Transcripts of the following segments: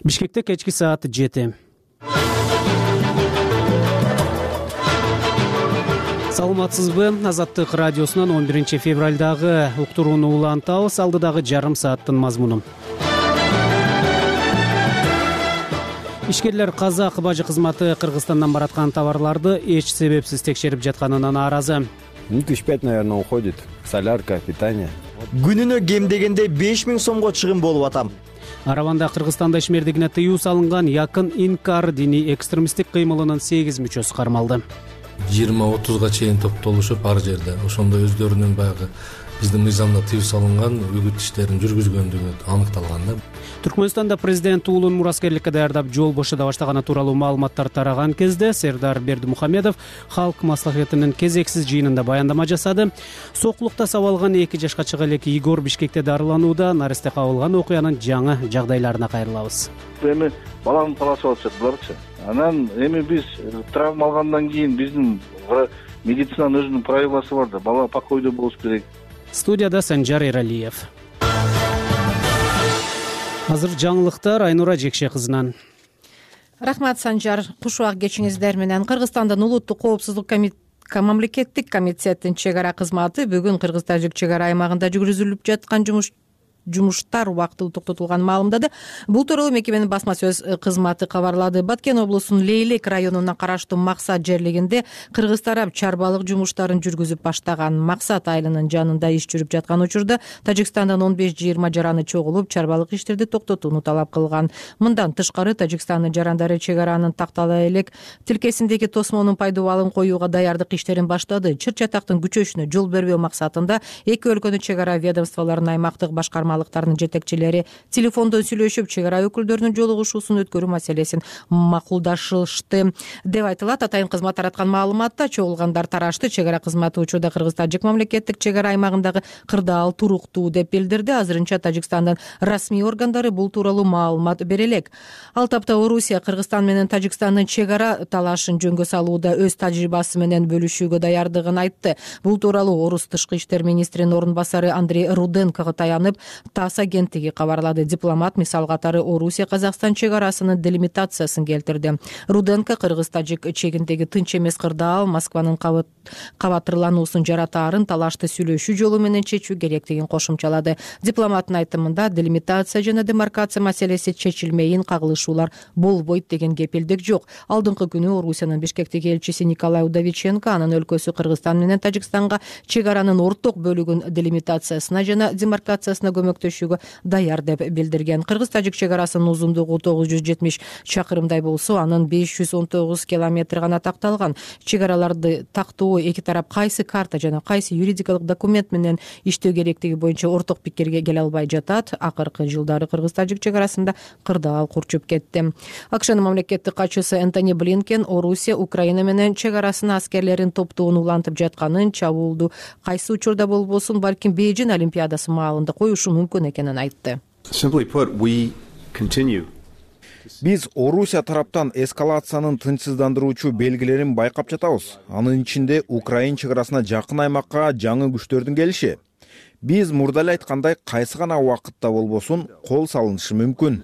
Бишкекте кечки саат 7. Саламатсызбы? Азаттык радиосунан 11 февралдагы уктурууну улантабыз. Алдыдагы жарым сааттын мазмуну. Ишкерлер казак бажы кызматы Кыргызстандан бараткан товарларды эч себепсиз текшерип жатканына нааразы. 5 наверное, уходит. Солярка, питание. Күнүнө кем дегенде 5000 сомго чыгым болуп атам. Араванда Кыргызстанда ишмердигине тыюу салынган Якын Инкар диний экстремисттик кыймылынын 8 мүчөсү кармалды. 20-30га чейин топтолушуп ар жерде ошондо өздөрүнүн баягы биздин мыйзамда тыюу салынган үгүт иштерин жүргүзгөндүгү аныкталган да. Түркмөнстанда президент уулун мураскерликке даярдап жол бошода баштаганы тууралуу маалыматтар тараган кезде Сердар Бердимухамедов Халк маслахатынын кезексиз жыйынында баяндама жасады. Сокулукта сабалган 2 жашка чыга элек Игор Бишкекте дарыланууда. Наристе кабылган окуянын жаңы жагдайларына кайрылабыз. Эми баланы талашып атышат буларчы. Анан эми биз травма алгандан кийин биздин медицинанын өзүнүн правиласы бар да, бала покойдо болуш керек. Студияда Санжар Эралиев. Азыр жаңылыктар Айнура Жекше кызынан. Рахмат, Санжар. Куш убак кечиңиздер менен. Кыргызстандын улуттук коопсуздук мамлекеттик комитеттин чек ара кызматы бүгүн кыргыз-тажик чек ара аймагында жүргүзүлүп жаткан жумуштар убактылуу токтотулганын маалымдады. Бул тууралуу мекеменин басма сөз кызматы кабарлады. Баткен облусунун Лейлек районуна караштуу Максат жерлигинде кыргыз тарап чарбалык жумуштарын жүргүзүп баштаган. Максат айылынын жанында иш жүрүп жаткан учурда Тажикстандан 15-20 жараны чогулуп, чарбалык иштерди токтотууну талап кылган. Мындан тышкары Тажикстандын жарандары чек аранын тактала элек тилкесиндеги тосмонун пайдубалын коюуга даярдык иштерин баштады. Чыр чатактын күчөшүнө жол бербөө максатында эки өлкөнүн чек ара ведомстволорунун аймактык башкармалыктарынын жетекчилери телефондон сүйлөшүп, чек ара өкүлдөрүнүн жолугушуусун өткөрүү маселесин макулдашышты деп айтылат. Атайын кызмат тараткан маалыматта чогулгандар тарашты. Чек ара кызматы учурда Кыргыз-Тажик мамлекеттик чек ара аймагындагы кырдаал туруктуу деп билдирди. Азырынча Тажикстандын расмий органдары бул тууралуу маалымат бере элек. Ал тапта Орусия Кыргызстан менен Тажикстандын чек ара талашын жөнгө салууда өз тажрыйбасы менен бөлүшүүгө даярдыгын айтты. Бул тууралуу Орус тышкы иштер министринин орун басары Андрей Руденкого таянып ТАСС агенттиги кабарлады. Дипломат мисал катары Орусия Казакстан чек арасынын делимитациясын келтирди. Руденко Кыргыз-Тажик чегиндеги тынч эмес кырдаал Москванын кабатырлануусун жаратаарын талашты сүйлөшүү жолу менен чечүү керектигин кошумчалады. Дипломаттын айтымында делимитация жана демаркация маселеси чечилмейин, кагылышуулар болбойт деген кепилдик жок. Алдыңкы күнү Орусиянын Бишкектеги элчиси Николай Удовиченко анын өлкөсү Кыргызстан менен Тажикстанга чек аранын орток бөлүгүн делимитациясына жана демаркациясына көмөктөшүүгө даяр деп билдирген. Кыргыз-Тажик чек арасынын узундугу 970 чакырымдай болсо, анын 519 километр гана такталган. Чек араларды тактоо эки тарап кайсы карта жана кайсы юридикалык документ менен иштөө керектиги боюнча орток пикирге келе албай жатат. Акыркы жылдары Кыргыз-Тажик чек арасында кырдаал курчуп кетти. АКШнын мамлекеттик катчысы Энтони Блинкен Орусия Украина менен чек арасына аскерлерин топтоонун улантып жатканын, чабуулду кайсы учурда болбосун балким Бейжин Олимпиадасы маалында коюшу мүмкүн экенин айтты. Биз Орусия тараптан эскалациянын тынчсыздандыруучу белгилерин байкап жатабыз. Анын ичинде Украина чек арасына жакын аймакка жаңы күчтөрдүн келиши. Биз мурда эле айткандай кайсы гана убакытта болбосун кол салынышы мүмкүн.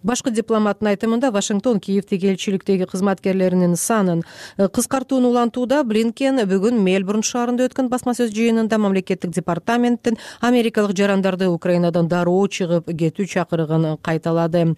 Башкы дипломаттын айтымында Вашингтон Киевдеги элчиликтеги кызматкерлеринин санын кыскартууну улантууда. Блинкен бүгүн Мельбурн шаарында өткөн басма сөз жыйынында мамлекеттик департаменттин америкалык жарандарды Украинадан дароо чыгып кетүү чакырыгын кайталады.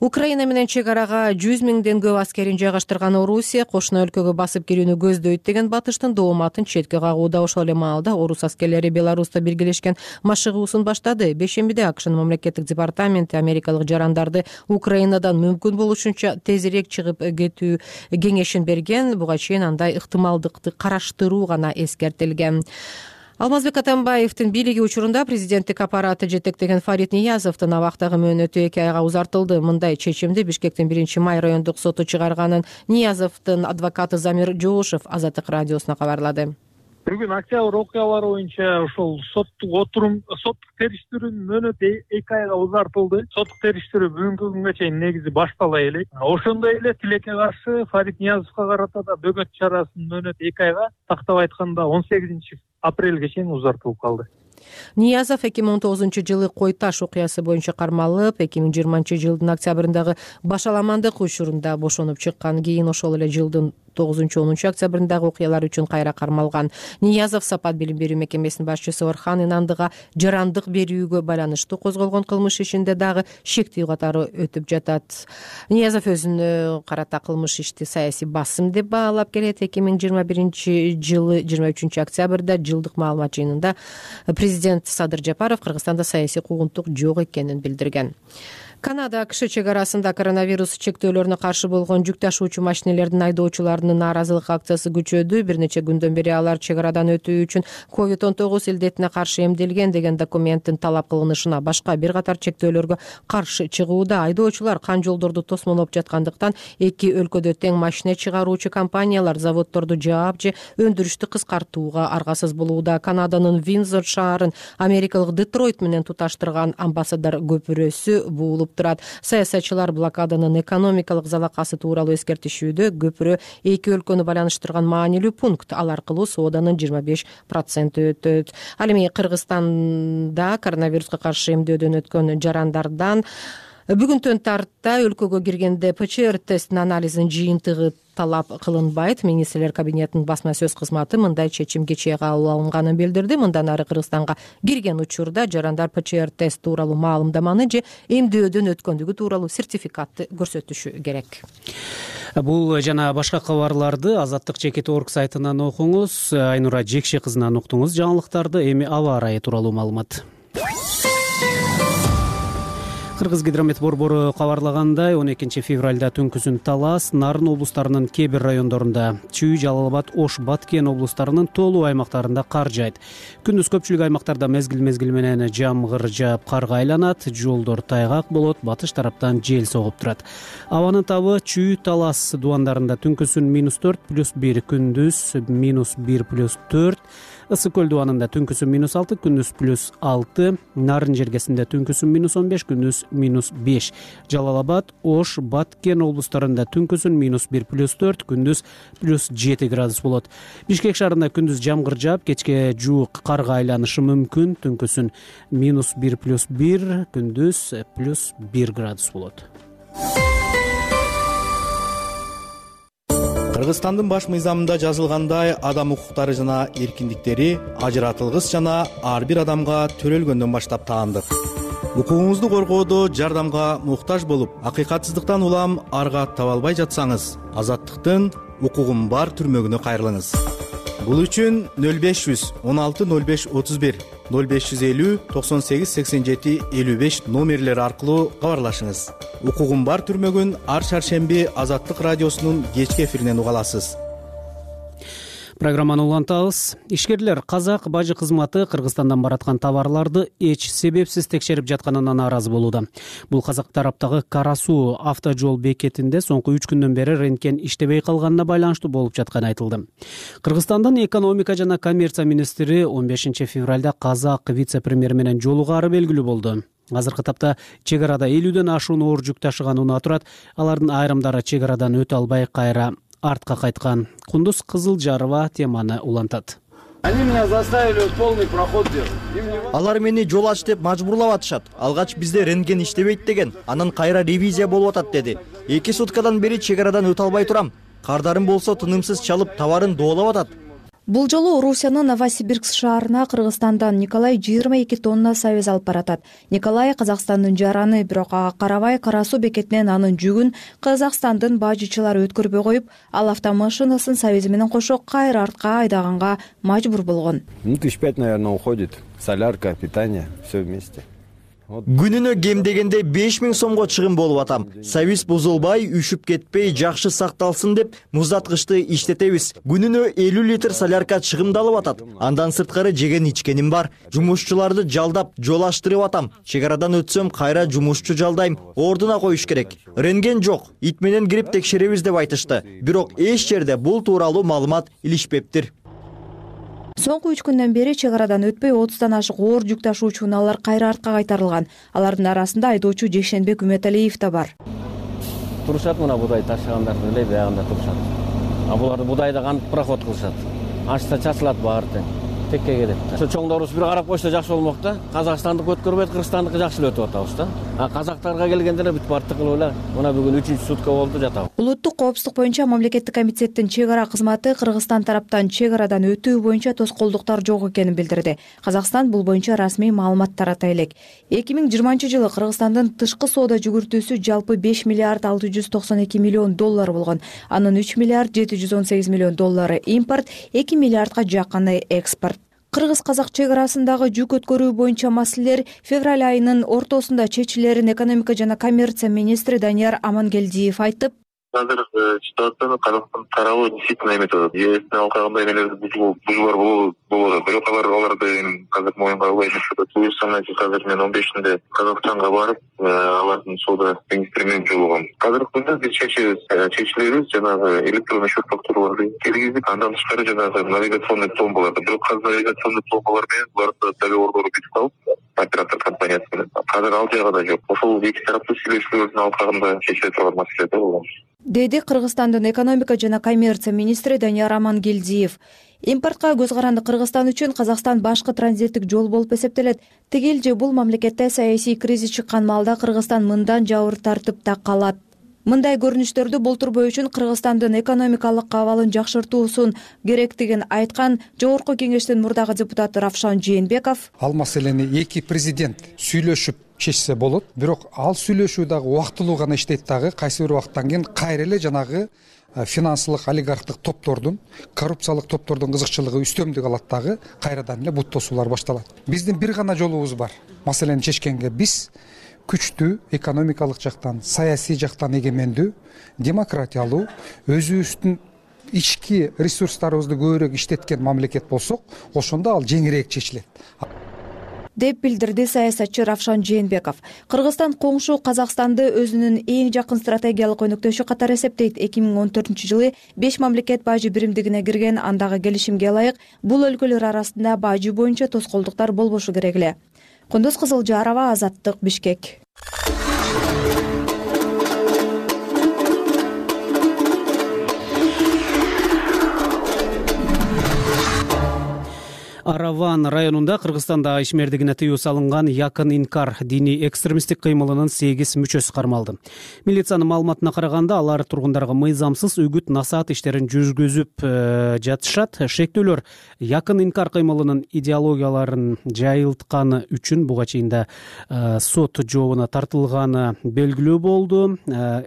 Украина менен чек арага 100 миңден көп аскерин жайгаштырган Орусия кошуна өлкөгө басып кирүүнү көздөйт деген батыштын дооматын четке кагууда. Ошол эле маалда Орус аскерлери Беларуста биргелешкен машыгуусун баштады. Бешембиде АКШнын мамлекеттик департаменти америкалык жарандарды Украинадан мүмкүн болушунча тезирээк чыгып кетүү кеңешин берген. Буга чейин андай ыктымалдыкты караштыруу гана эскертилген. Алмазбек Атамбаевдин бийлиги учурунда президенттик аппараты жетектеген Фарид Ниязовдун абактагы мөөнөтү 2 айга узартылды. Мындай чечимди Бишкектин 1-май райондук соту чыгарганын Ниязовдун адвокаты Замир Жоошев Азаттык радиосуна кабарлады. Бүгүн октябрь окуялары боюнча ошол соттук териштирүүнүн мөөнөтү 2 айга узартылды. Соттук териштирүү бүгүнкү күнгө чейин негизи баштала элек. Ошондой эле тилекке каршы Фарид Ниязовго карата да бөгөт чарасынын мөөнөтү 2 айга, тактап айтканда 18 апрелге чейин узартылып калды. Ниязов 2019-жылы Кой Таш окуясы боюнча кармалып, 2020-жылдын октябрындагы башаламандык учурунда бошонуп чыккан. Кийин ошол эле жылдын 9-10 октябрындагы окуялар үчүн кайра кармалган. Ниязов Сапат билим берүү мекемесинин башчысы Орхан Инандыга жарандык берүүгө байланыштуу козголгон кылмыш ишинде дагы шектүү катары өтүп жатат. Ниязов өзүнө карата кылмыш ишти саясий басым деп баалап келет. 2021-жылы 23 октябрда жылдык маалымат жыйынында президент Садыр Жапаров Кыргызстанда саясий куугунтук жок экенин билдирген. Канада АКШ чек арасында коронавирус чектөөлөрүнө каршы болгон жүк ташуучу машинелердин айдоочуларынын нааразылык акциясы күчөдү. Бир нече күндөн бери алар чек арадан өтүү үчүн COVID-19 илдетине каршы эмделген деген документтин талап кылынышына башка бир катар чектөөлөргө каршы чыгууда. Айдоочулар кан жолдорду тосмолоп жаткандыктан эки өлкөдө тең машина чыгаруучу компаниялар заводдорду жаап же өндүрүштү кыскартууга аргасыз болууда. Канаданын Виндзор шаарын Америкалык Детройт менен туташтырган амбассадор көпүрөсү буулуп турат. Саясатчылар блокаданын экономикалык залакасы тууралуу эскертишүүдө. Көпүрө эки өлкөнү байланыштырган маанилүү пункт. Ал аркылуу сооданын 25% өтөт. Ал эми Кыргызстанда коронавируска каршы эмдөөдөн өткөн жарандардан бүгүнтөн тарта өлкөгө киргенде ПЧР тестинин анализин жыйынтыгы талап кылынбайт. Министрлер кабинетинин басма сөз кызматы мындай чечим кечээ кабыл алынганын билдирди. Мындан ары Кыргызстанга кирген учурда жарандар ПЧР тест тууралуу маалымдаманы же эмдөөдөн өткөндүгү тууралуу сертификатты көрсөтүшү керек. Бул жана башка кабарларды Азаттык.org сайтынан окуңуз. Айнура Жекше кызынан уктуңуз жаңылыктарды. Эми аба ырайы тууралуу маалымат. Кыргызгидромет борбору кабарлагандай, 12 февралда түнкүсүн Талас, Нарын облустарынын кээ бир райондорунда, Чүй, Жалал Абад, Ош, Баткен облустарынын толуу аймактарында кар жайт. Күндүз көпчүлүк аймактарда мезгил менен жамгыр жаап карга айланат, жолдор тайгак болот, батыш тараптан жел согуп турат. Абанын табы Чүй, Талас дубандарында түнкүсүн -4+1, күндүз -1+4, Ысык көл дубанында түнкүсүн -6, күндүз +6, Нарын жергесинде түнкүсүн -15, күндүз -5, Жалал Абад, Ош, Баткен облустарында түнкүсүн -1+4, күндүз +7 градус болот. Бишкек шаарында күндүз жамгыр жаап, кечке жуук карга айланышы мүмкүн, түнкүсүн -1+1, күндүз +1 градус болот. Кыргызстандын баш мыйзамында жазылгандай, адам укуктары жана эркиндиктери ажыратылгыс жана ар бир адамга төрөлгөндөн баштап таандык. Укугуңузду коргоодо жардамга муктаж болуп, акыйкатсыздыктан улам аргат таба албай жатсаңыз, Азаттыктын укугум бар түрмөгүнө кайрылыңыз. Бул үчүн 0500 16 05 31 0550 98 87 55 номерлери аркылуу кабарлашыңыз. Укугум бар түрмөгүн ар шаршемби Азаттык радиосунун кечки эфиринен уга аласыз. Программаны улантабыз. Ишкерлер казак бажы кызматы Кыргызстандан бараткан товарларды эч себепсиз текшерип жатканына нааразы болууда. Бул казак тараптагы Кара суу автожол бекетинде соңку 3 күндөн бери рентген иштебей калганына байланыштуу болуп жатканы айтылды. Кыргызстандын экономика жана коммерция министри 15 февралда казак вице-премьер менен жолугаары белгилүү болду. Азыркы тапта чек арада 50ден ашуун оор жүк ташыган унаа турат. Алардын айрымдары чек арадан өтө албай кайра артка кайткан. Кундуз Кызылжарова теманы улантат. Они меня заставили полный проход делать. Алар мени жол ач деп мажбурлап атышат. Алгач бизде рентген иштебейт деген, анан кайра ревизия болуп атат деди. 2 суткадан бери чек арадан өтө албай турам. Кардарым болсо тынымсыз чалып товарын доолап атат. Бул жолу Орусиянын Новосибирск шаарына Кыргызстандан Николай 22 тонна сабиз алып баратат. Николай Казакстандын жараны, бирок ага карабай Кара суу бекетинен анын жүгүн Казакстандын бажычылары өткөрбөй коюп, ал автомашинасын сабизи менен кошо кайра артка айдаганга мажбур болгон. 1005, наверное, уходит. Солярка, питание, все вместе. Күнүнө кем дегенде 5000 сомго чыгым болуп атам. Сабиз бузулбай, үшүп кетпей, жакшы сакталсын деп муздаткычты иштетебиз. Күнүнө 50 литр солярка чыгымдалып атат. Андан сырткары жеген ичкеним бар. Жумушчуларды жалдап, жол аштырып атам. Чек арадан өтсөм, кайра жумушчу жалдайм. Ордуна коюш керек. Рентген жок, ит менен кирип текшеребиз деп айтышты. Бирок эч жерде бул тууралуу маалымат илишпептир. Соңку 3 күндөн бери чек арадан өтпөй 30дан ашык оор жүк ташуучу унаалар кайра артка кайтарылган. Алардын арасында айдоочу Жекшенбек Үмөталиев да бар. Турушат мына будай ташыгандарды эле биягында турушат. А буларды будайда кантип проход кылышат. Ашса чачылат баары тең. текке келет да. Ошо чоңдорубуз бир карап койсо жакшы болмок да. Казакстандык өткөрбөйт, Кыргызстандыкы жакшы эле өтүп атабыз да. Казактарга келгенде эле бүт бартты кылып эле мына бүгүн 3-чү сутка болду жатабыз. Улуттук коопсуздук боюнча мамлекеттик комитеттин чек ара кызматы Кыргызстан тараптан чек арадан өтүү боюнча тоскоолдуктар жок экенин билдирди. Казакстан бул боюнча расмий маалымат тарата элек. 2020-жылы Кыргызстандын тышкы соода жүгүртүүсү жалпы 5 миллиард 692 миллион доллар болгон. Анын 3 миллиард 718 миллион доллары импорт, 2 миллиардга жакыны экспорт. Кыргыз-казак чек арасындагы жүк өткөрүү боюнча маселелер февраль айынын ортосунда чечилерин экономика жана коммерция министри Данияр Амангелдиев айтып, азыркы ситуацияны Казакстан тарабы действительно эметип атат. Эсине алганда эмелер бузуулар болот. Бирок аларды азыр моюнга албай жүрүшөт. Буюрса азыр мен 15-inde Казакстанга барып, алардын соода министри менен жолугам. Азыркы күндө биз чечилебиз жанагы электронный счет фактураларды киргизип, андан тышкары жанагы навигационный пломбаларды, бирок азыр навигационный пломбалар менен буларды договордорду бүтүп алып, оператор компаниясы менен. Азыр ал жагы да жок. Ошол эки тараптуу сүйлөшүүлөрдүн алкагында чечиле турган маселе да бул. Деди Кыргызстандын экономика жана коммерция министри Данияр Амангелдиев. Импортко көз каранды Кыргызстан үчүн Казакстан башкы транзиттик жол болуп эсептелет. Тигил же бул мамлекетте саясий кризис чыккан маалда Кыргызстан мындан жабыр тартыпта калат. Мындай көрүнүштөрдү болтурбоо үчүн Кыргызстандын экономикалык абалын жакшыртуусун керектигин айткан Жогорку Кеңештин мурдагы депутаты Равшан Жээнбеков. Ал маселени эки президент сүйлөшүп чечсе болот, бирок ал сүйлөшүү дагы убактылуу гана иштейт дагы. Кайсы бир убакыттан кийин кайра эле жанагы финансылык олигархтык топтордун, коррупциялык топтордун кызыкчылыгы үстөмдүк алат дагы, кайрадан эле бут тосуулар башталат. Биздин бир гана жолубуз бар. Маселени чечкенге биз күчтүү экономикалык жактан, саясий жактан эгемендүү, демократиялуу, өзүбүздүн ички ресурстарыбызды көбүрөөк иштеткен мамлекет болсок, ошондо ал жеңирээк чечилет деп билдирди саясатчы Равшан Жээнбеков. Кыргызстан коңшу Казакстанды өзүнүн эң жакын стратегиялык өнөктөшү катары эсептейт. 2014-жылы 5 мамлекет бажы биримдигине кирген, андагы келишимге ылайык бул өлкөлөр арасында бажы боюнча тоскоолдуктар болбошу керек эле. Кундуз Кызылжарова, Азаттык, Бишкек. Араван районунда Кыргызстанда ишмердигине тыюу салынган Якын Инкар диний экстремисттик кыймылынын 8 мүчөсү кармалды. Милициянын маалыматына караганда, алар тургундарга мыйзамсыз үгүт насаат иштерин жүргүзүп жатышат. Шектүүлөр Якын Инкар кыймылынын идеологияларын жайылтканы үчүн буга чейин да сот жообуна тартылганы белгилүү болду.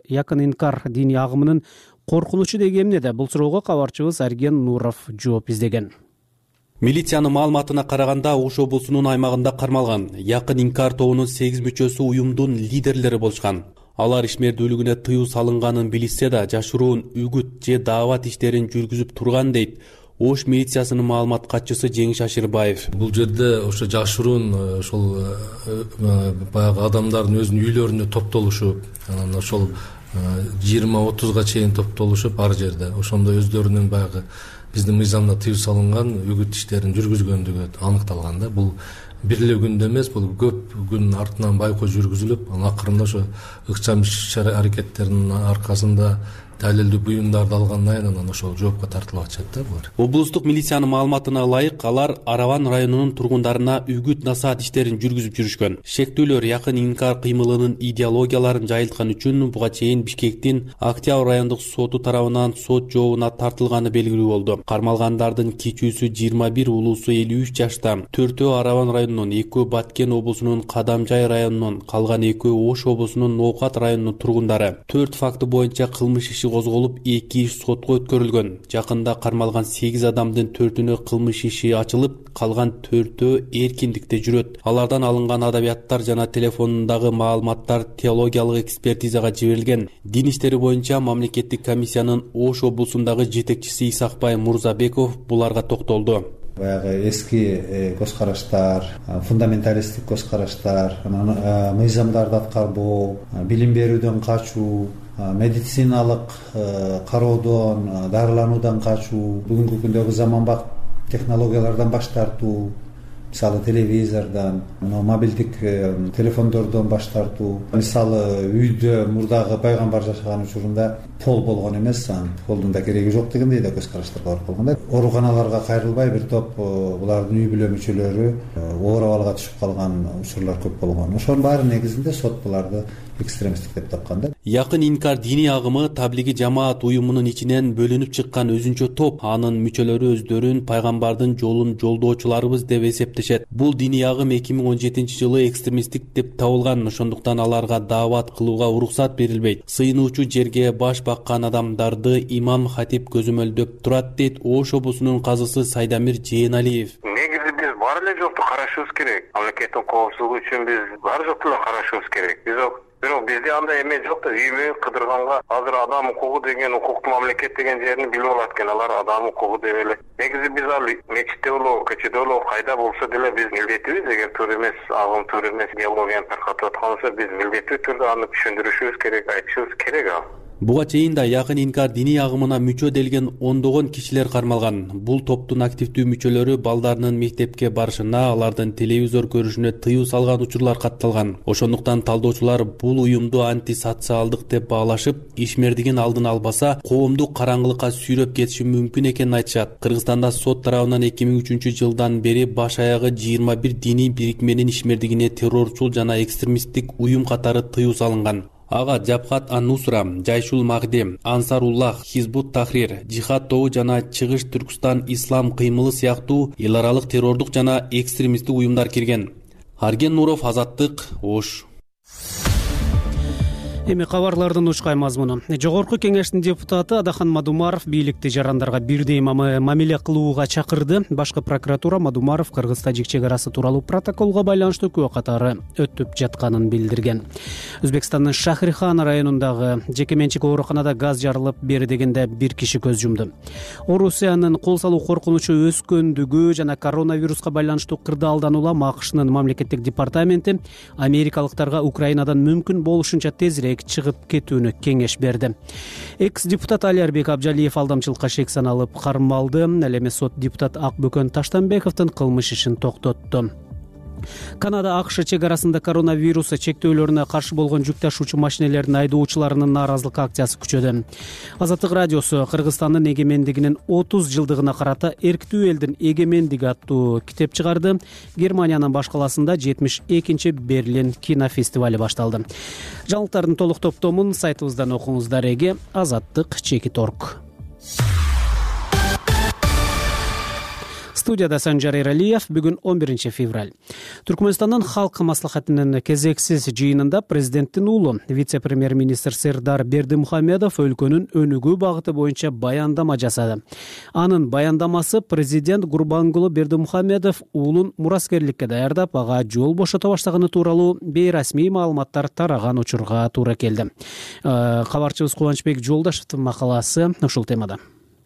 Якын Инкар диний агымынын коркунучу деги эмне да? Бул суроого кабарчыбыз Арген Нуров жооп издеген. Милициянын маалыматына караганда, Ош облусунун аймагында кармалган Якын Инкар тобунун 8 мүчөсү уюмдун лидерлери болушкан. Алар ишмердүүлүгүнө тыюу салынганын билишсе да, жашыруун үгүт же даават иштерин жүргүзүп турган дейт Ош милициясынын маалымат катчысы Жеңиш Ашырбаев. Бул жерде ошо жашыруун ошол баягы адамдардын өзүнүн үйлөрүнө топтолушуп, анан ошол 20-30га чейин топтолушуп ар жерде ошондо өздөрүнүн баягы биздин мыйзамда тыюу салынган үгүт иштерин жүргүзгөндүгү аныкталган да. Бул бир эле күндө эмес, бул көп күн артынан байкоо жүргүзүлүп, анан акырында ошо ыкчам иш-аракеттердин аркасында далилдүү буюмдарды алгандан кийин анан ошол жоопко тартылып атышат да булар. Облустук милициянын маалыматына ылайык, алар Араван районунун тургундарына үгүт насаат иштерин жүргүзүп жүрүшкөн. Шектүүлөр Якын Инкар кыймылынын идеологияларын жайылткан үчүн буга чейин Бишкектин Октябрь райондук соту тарабынан сот жообуна тартылганы белгилүү болду. Кармалгандардын кичүүсү 21, улуусу 53 жашта. 4-өө Араван районунун, 2-өө Баткен облусунун Кадамжай районунун, калган 2-өө Ош облусунун Ноокат районунун тургундары. 4 факты боюнча кылмыш иши козголуп, 2 иш сотко өткөрүлгөн. Жакында кармалган 8 адамдын 4-үнө кылмыш иши ачылып, калган 4-өө эркиндикте жүрөт. Алардан алынган адабияттар жана телефонундагы маалыматтар теологиялык экспертизага жиберилген. Дин иштери боюнча мамлекеттик комиссиянын Ош облусундагы жетекчиси Исакбай Мурзабеков буларга токтолду. Баягы эски көз караштар, фундаменталисттик көз караштар, мыйзамдарды аткарбоо, билим берүүдөн качуу, медициналык кароодон, дарылануудан качуу, бүгүнкү күндөгү заманбап технологиялардан баш тартуу, мисалы телевизордон, мобилдик телефондордон баш тартуу. Мисалы үйдө мурдагы пайгамбар жашаган учурунда пол болгон эмес, анын полдун да кереги жок дегендей да көз караштар бар болгон. Ооруканаларга кайрылбай бир топ булардын үй бүлө мүчөлөрү оор абалга түшүп калган учурлар көп болгон. Ошонун баары негизинде сот буларды экстремисттик деп тапкан да. Якын инкар диний агымы таблиги жамаат уюмунун ичинен бөлүнүп чыккан өзүнчө топ. Анын мүчөлөрү өздөрүн пайгамбардын жолун жолдоочуларыбыз деп эсептешет. Бул диний агым 2017-жылы экстремисттик деп табылган, ошондуктан аларга даават кылууга уруксат берилбейт. Сыйынуучу жерге баш баккан адамдарды имам хатип көзөмөлдөп турат, дейт Ош облусунун казысы Сайдамир Жээналиев. Негизи биз бар эле жокту карашыбыз керек. Мамлекеттин коопсуздугу үчүн биз бар жокту эле карашыбыз керек. Бирок бизде андай эме жок да, үймө кыдырганга азыр адам укугу деген, укуктуу мамлекет деген жерин билип алат экен. Алар адам укугу деп эле. Негизи биз ал мечитте болобу, көчөдө болобу, кайда болсо деле биз милдеттүүбүз. Эгер туура эмес, агым туура эмес идеологияны таркатып аткан болсо, биз милдеттүү түрдө аны түшүндүрүшүбүз керек, айтышыбыз керек ал. Буга чейин да якын инкар диний агымына мүчө делген ондогон кишилер кармалган. Бул топтун активдүү мүчөлөрү балдарынын мектепке барышына, алардын телевизор көрүшүнө тыюу салган учурлар катталган. Ошондуктан талдоочулар бул уюмду антисоциалдык деп баалашып, ишмердигин алдын албаса, коомду караңгылыкка сүйрөп кетиши мүмкүн экенин айтышат. Кыргызстанда сот тарабынан 2003-жылдан бери баш аягы 21 диний бирикменин ишмердигине террорчул жана экстремисттик уюм катары тыюу салынган. Ага Жабхат ан-Нусра, Жайшул Магдем, Ансаруллах, Хизбут Тахрир, Жихад тобу жана Чыгыш Түркстан Ислам кыймылы сыяктуу эл аралык террордук жана экстремисттик уюмдар кирген. Арген Нуров, Азаттык, Ош. Эми кабарлардын учкай мазмуну. Жогорку кеңештин депутаты Адахан Мадумаров бийликти жарандарга бирдей мамиле кылууга чакырды. Башкы прокуратура Мадумаров Кыргыз-Тажик чек арасы тууралуу протоколго байланыштуу күбө катары өтүп жатканын билдирген. Өзбекстандын Шахрихан районундагы жеке менчик ооруканада газ жарылып, бери дегенде бир киши көз жумду. Орусиянын кол салуу коркунучу өскөндүгү жана коронавируска байланыштуу кырдаалдан улам АКШнын мамлекеттик департаменти америкалыктарга Украинадан мүмкүн болушунча тезирээк чыгып кетүүнү кеңеш берди. Экс-депутат Алиарбек Абжалиев алдамчылыкка шек саналып кармалды. Ал эми сот депутат Акбөкөн Таштанбековдун кылмыш ишин токтотту. Канада АКШ чек арасында коронавирус чектөөлөрүнө каршы болгон жүк ташуучу машинелердин айдоочуларынын нааразылык акциясы күчөдү. Азаттык радиосу Кыргызстандын эгемендигинин 30 жылдыгына карата эрктүү элдин эгемендиги аттуу китеп чыгарды. Германиянын баш каласында 72-чи Берлин кинофестивали башталды. Жаңылыктардын толук топтомун сайтыбыздан окуңуздар. Эге azattik.org. Студияда Санжар Эралиев. Бүгүн 11 февраль. Түркмөнстандын халк маслахатынын кезексиз жыйынында президенттин уулу вице-премьер-министр Сердар Бердимухамедов өлкөнүн өнүгүү багыты боюнча баяндама жасады. Анын баяндамасы президент Гурбангулы Бердимухамедов уулун мураскерликке даярдап, ага жол бошото баштаганы тууралуу бейрасмий маалыматтар тараган учурга туура келди. Кабарчыбыз Кубанычбек Жолдашевдин макаласы ушул темада.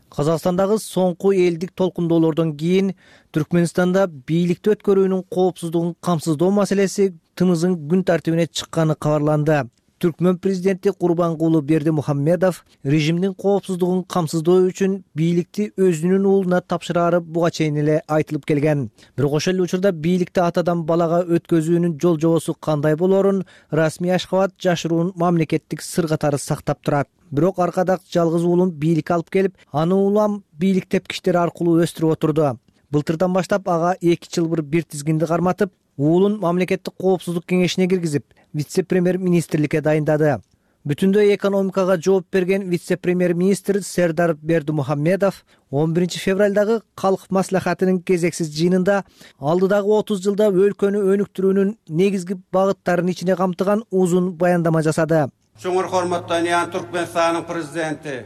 Казакстандагы соңку элдик толкундоолордон кийин Түркмөнстанда бийликти өткөрүүнүн коопсуздугун камсыздоо маселеси тымыздын күн тартибине чыкканы кабарланды. Түркмөн президенти Гурбангулы Бердимухамедов режимдин коопсуздугун камсыздоо үчүн бийликти өзүнүн уулуна тапшырары буга чейин эле айтылып келген. Бирок ошол эле учурда бийликти атадан балага өткөзүүнүн жол жобосу кандай болорун расмий Ашхабад жашыруун мамлекеттик сыр катары сактап турат. Бирок аркада жалгыз уулун бийликке алып келип, аны улам бийлик тепкичтери аркылуу өстүрүп отурду. Былтырдан баштап ага 2 жылбыр бир тизгинди карматып, уулун мамлекеттик коопсуздук кеңешине киргизип, вице-премьер-министрликке дайындады. Бүтүндөй экономикага жооп берген вице-премьер-министр Сердар Бердимухамедов 11 февралдагы калк маслахатынын кезексиз жыйынында алдыдагы 30 жылда өлкөнү өнүктүрүүнүн негизги багыттарын ичине камтыган узун баяндама жасады. Чоңур урматтан Түркмөнстандын президенти.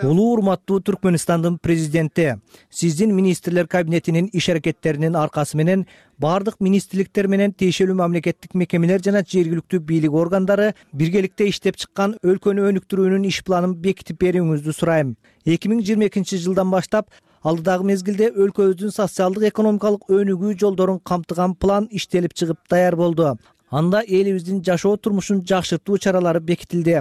Улуу урматтуу Түркмөнстандын президенти, сиздин министрлер кабинетинин иш аракеттеринин аркасы менен бардык министрликтер менен тиешелүү мамлекеттик мекемелер жана жергиликтүү бийлик органдары биргеликте иштеп чыккан өлкөнү өнүктүрүүнүн иш планын бекитип берүүңүздү сурайм. 2022 жылдан баштап алдыдагы мезгилде өлкөбүздүн социалдык экономикалык өнүгүү жолдорун камтыган план иштелип чыгып даяр болду. Анда элибиздин жашоо турмушун жакшыртуу чаралары бекитилди.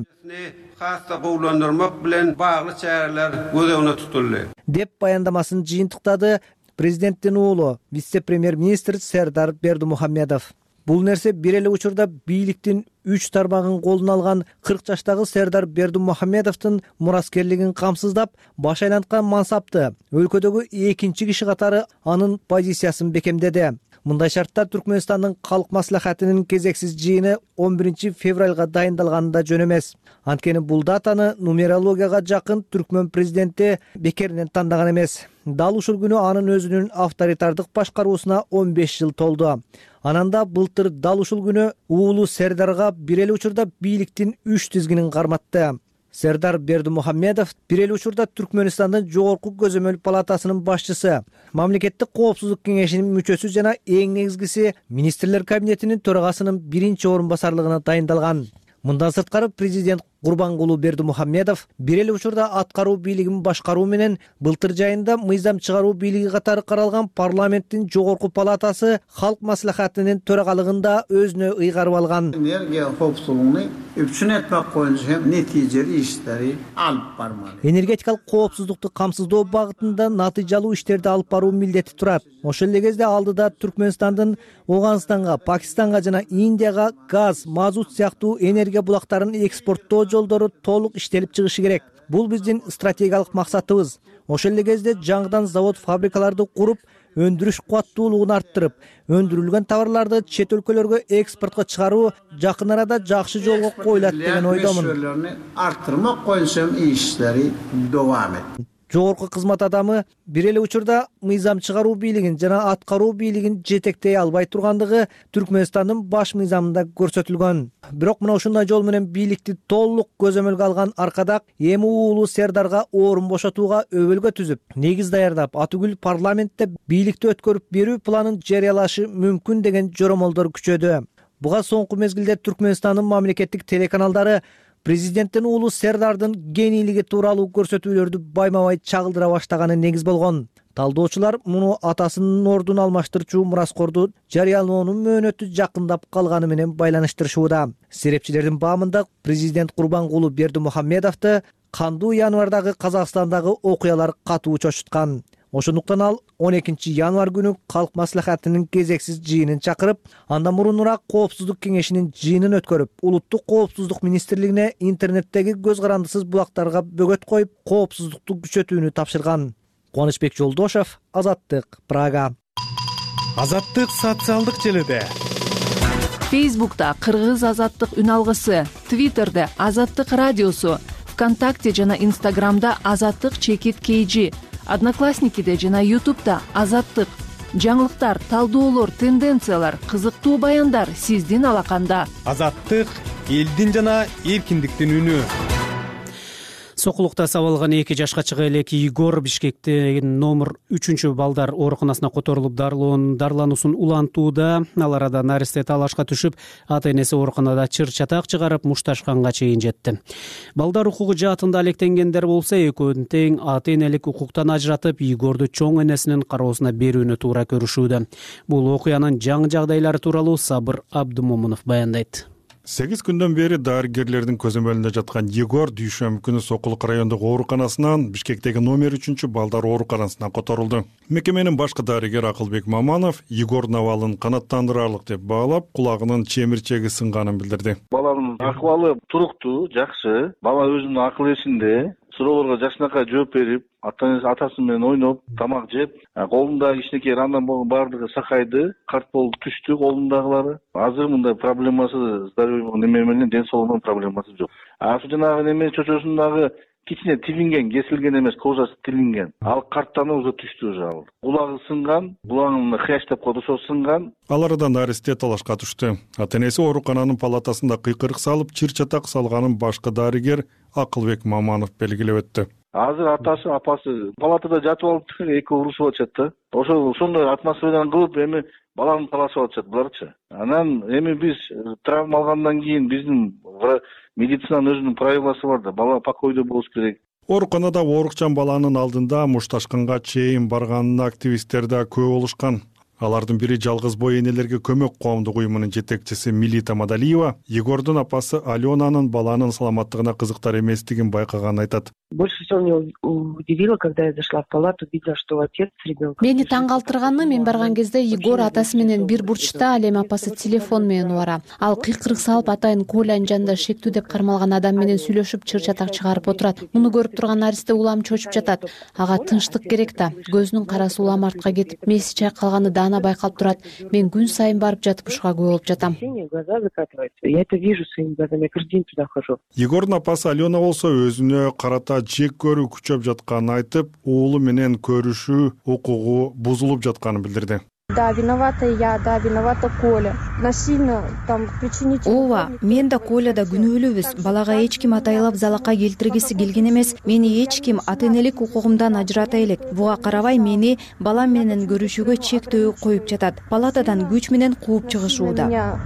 Кастабууландырмак менен баглы чаралар көзөмөлдө тутулду. Деп баяндамасын жыйынтыктады президенттин уулу вице премьер-министр Сердар Бердимухамедов. Бул нерсе бир эле учурда бийликтин 3 тармагын колуна алган 40 жаштагы Сердар Бердимухамедовдун мураскерлигин камсыздап, баш айланткан мансапты өлкөдөгү экинчи киши катары анын позициясын бекемдеди. Мындай шартта Түркмөнстандын калк маслихатынын кезексиз жыйыны 11 февралга дайындалганы да жөн эмес. Анткени бул датаны нумерологияга жакын түркмөн президенти бекеринен тандаган эмес. Дал ушул күнү анын өзүнүн авторитардык башкаруусуна 15 жыл толду. Анан да былтыр дал ушул күнү уулу Сердарга бир эле учурда бийликтин 3 тизгинин карматты. Сердар Бердимухамедов бир эле учурда Түркмөнстандын жогорку көзөмөл палатасынын башчысы, мамлекеттик коопсуздук кеңешинин мүчөсү жана эң негизгиси министрлер кабинетинин төрагасынын биринчи орун басарлыгына дайындалган. Мындан сырткары президент Курбангулу Бердимухамедов бир эле учурда аткаруу бийлигин башкаруу менен былтыр жайында мыйзам чыгаруу бийлиги катары каралган парламенттин жогорку палатасы Халк маслихатынын төрагалыгында өзүнө ыйгарып алган. Энергия коопсуздугун үчүн этмек боюнча натыйжалуу иштери алып бармак. Энергетикалык коопсуздукту камсыздоо багытында натыйжалуу иштерди алып баруу милдети турат. Ошол эле кезде алдыда Түркмөнстандын Оганстанга, Пакистанга жана Индияга газ, мазут сыяктуу энергия булактарын экспорттоо жолдору толук иштелип чыгышы керек. Бул биздин стратегиялык максатыбыз. Ошол эле кезде жаңыдан завод, фабрикаларды куруп, өндүрүш кубаттуулугун арттырып, өндүрүлгөн товарларды чет өлкөлөргө экспортко чыгаруу жакын арада жакшы жолго коюлат деген ойдомун. Арттырмак боюнча иштери давам этти. Жогорку кызмат адамы бир эле учурда мыйзам чыгаруу бийлигин жана аткаруу бийлигин жетектей албай тургандыгы Түркмөнстандын баш мыйзамында көрсөтүлгөн. Бирок мына ушундай жол менен бийликти толук көзөмөлгө алган Аркадак эми уулу Сердарга орун бошотууга өбөлгө түзүп, негиз даярдап, атүгүл парламентте бийликти өткөрүп берүү планын жарыялашы мүмкүн деген жоромолдор күчөдү. Буга соңку мезгилде Түркмөнстандын мамлекеттик телеканалдары президенттин уулу Сердардын генийлиги тууралуу көрсөтүүлөрдү байма-бай чагылдыра баштаганы негиз болгон. Талдоочулар муну атасынын ордун алмаштырчу мураскорду жарыялоонун мөөнөтү жакындап калганы менен байланыштырышууда. Серепчилердин баамында президент Курбангулу Бердимухамедовду кандуу январдагы Казакстандагы окуялар катуу чочуткан. Ошондуктан ал 12 январь күнү калк маслихатынын кезексиз жыйынын чакырып, андан мурунураак коопсуздук кеңешинин жыйынын өткөрүп, улуттук коопсуздук министрлигине интернеттеги көз карандысыз булактарга бөгөт коюп, коопсуздукту күчөтүүнү тапшырган. Кубанычбек Жолдошев, Азаттык, Прага. Азаттык социалдык желиде. Фейсбукта Кыргыз Азаттык үн алгысы, Твиттерде Азаттык радиосу, ВКонтакте жана Инстаграмда Азаттык _KG, Одноклассникиде жана Ютубда Азаттык. Жаңылыктар, талдоолор, тенденциялар, кызыктуу баяндар сиздин алаканда. Азаттык элдин жана эркиндиктин үнү. Сокулукта сабалган 2 жашка чыга элек Игор Бишкекте номер 3 балдар ооруканасына которулуп дарылануусун улантууда. Ал арада наристе талашка түшүп, ата-энеси ооруканада чыр-чатак чыгарып мушташканга чейин жетти. Балдар укугу жаатында алектенгендер болсо, экөөнү тең ата-энелик укуктан ажыратып, Игорду чоң энесинин кароосуна берүүнү туура көрүшүүдө. Бул окуянын жаңы жагдайлары тууралуу Сабыр Абдымомунов баяндайт. 8 күндөн бери дарыгерлердин көзөмөлүндө жаткан Егор дүйшөмбү күнү Сокулук райондук ооруканасынан Бишкектеги номер 3 балдар ооруканасына которулду. Мекеменин башкы дарыгери Акылбек Маманов Егордун абалын канааттандырарлык деп баалап, кулагынын чемирчеги сынганын билдирди. Баланын акыбалы туруктуу, жакшы. Бала өзүнүн акыл эсинде. Суроолорго жакшынакай жооп берип, атасы менен ойноп, тамак жеп, колундагы кичинекей андан баардыгы сакайды, карт болуп түштү колундагылары. Азыр мындай проблемасы здоровье неме менен ден соолугунун проблемасы жок. Ошо жанагы неме чочосундагы кичине тилинген, кесилген эмес, кожасы тилинген. Ал карттан уже түштү уже ал. Кулагы сынган, кулагын хрящ деп коет, ошо сынган. Ал арада наристе талашка түштү. Ата-энеси оорукананын палатасында кыйкырык салып, чыр-чатак салганын башкы дарыгер Акылбек Маманов белгилеп өттү. Азыр атасы, апасы палатада жатып алып, эки урушуп атышат да. Ошондой атмосферадан кылып, эми баланы талашып атышат буларчы. Анан эми биз травма алгандан кийин биздин медицинанын өзүнүн правиласы бар да, бала покойдо болуш керек. Ооруканада оорукчан баланын алдында мушташканга чейин барганын активисттер да көп болушкан. Алардын бири жалгыз бой энелерге көмөк коомдук уюмунун жетекчиси Милита Мадалиева Егордун апасы Аленанын баланын саламаттыгына кызыктар эместигин байкаганын айтат. Больше всего меня удивило, когда я зашла в палату, видела, что отец с ребенком. Мени таң калтырганы, мен барган кезде Егор атасы менен бир бурчта, ал эми апасы телефон менен убара. Ал кыйкырык салып атайын Колянын жанында шектүү деп кармалган адам менен сүйлөшүп чыр чатак чыгарып отурат. Муну көрүп турган наристе улам чочуп жатат. Ага тынчтык керек да. Көзүнүн карасы улам артка кетип, меси чайкалганы даана байкалып турат. Мен күн сайын барып жатып ушуга күбө болуп жатам. Глаза закатываются. Я это вижу своими глазами. Я каждый день туда хожу. Егордун апасы Алена болсо өзүнө карата жек көрүү күчөп жатканын айтып, уулу менен көрүшүү укугу бузулуп жатканын билдирди. Да, виновата я, да, виновата Коля. Насильно там причинить. Ооба, мен да Коля да күнөөлүүбүз. Балага эч ким атайлап залакка келтиргиси келген эмес. Мени эч ким ата энелик укугумдан ажырата элек. Буга карабай мени балам менен көрүшүүгө чектөө коюп жатат. Палатадан күч менен кууп чыгышууда.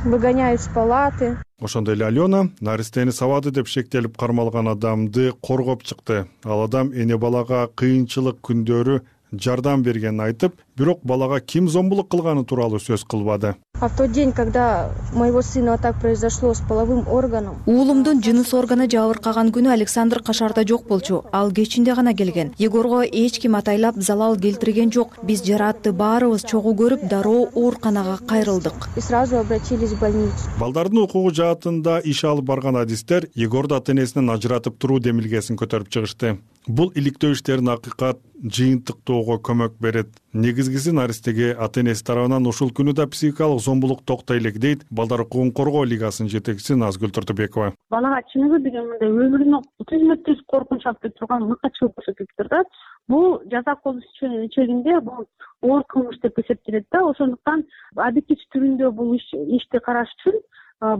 Выгоняют из палаты. Ошондой эле Алена наристени сабады деп шектелип кармалган адамды коргоп чыкты. Ал адам эне балага кыйынчылык күндөрү жардам бергенин айтып, бирок балага ким зомбулук кылганы тууралуу сөз кылбады. А в тот день, когда моего сына так произошло с половым органом. Уулумдун жыныс органы жабыркаган күнү Александр Кашарда жок болчу. Ал кечинде гана келген. Егорго эч ким атайлап залал келтирген жок. Биз жаратты баарыбыз чогуу көрүп, дароо ооруканага кайрылдык. И сразу обратились в больницу. Балдардын укугу жаатында иш алып барган адистер Егорду ата энесинен ажыратып туруу демилгесин көтөрүп чыгышты. Бул иликтөө иштерин акыйкат жыйынтыктоого көмөк берет. Негизгиси наристеге ата энеси тарабынан ушул күнү да психикалык зомбулук токтой элек дейт Балдар укугун коргоо лигасынын жетекчиси Назгүл Туртубекова. Балага чыныгы деген мындай өмүрүнө түзмө-түз коркунуч алып турган мыкачылык көрсөтүп турат. Бул жаза колу чегинде бул оор кылмыш деп эсептелет да. Ошондуктан объектив түрүндө бул ишти караш үчүн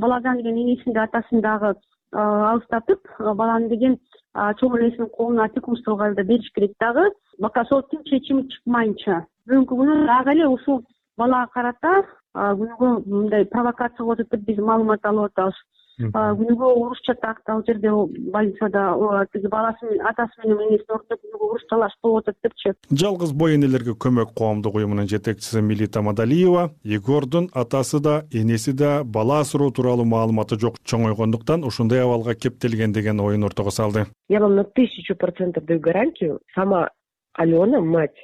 баладан деген энесин да атасын дагы алыстатып, баланы деген чоң энесинин колуна опекунство кылганда бериш керек дагы. Бака соттун чечими чыкмайынча. Бүгүнкү күнү дагы эле ушул балага карата күнүгө мындай провокация кылып атып биз маалымат алып атабыз. Күнүгө уруш чатак ал жерде больницада тиги баласынын атасы менен энесин ортосунда күнүгө уруш талаш болуп атат депчи. Жалгыз бой энелерге көмөк коомдук уюмунун жетекчиси Милита Мадалиева Егордун атасы да энеси да бала асыроо тууралуу маалыматы жок чоңойгондуктан ушундай абалга кептелген деген оюн ортого салды. Я вам на 1000% даю гарантию, сама Алена, мать.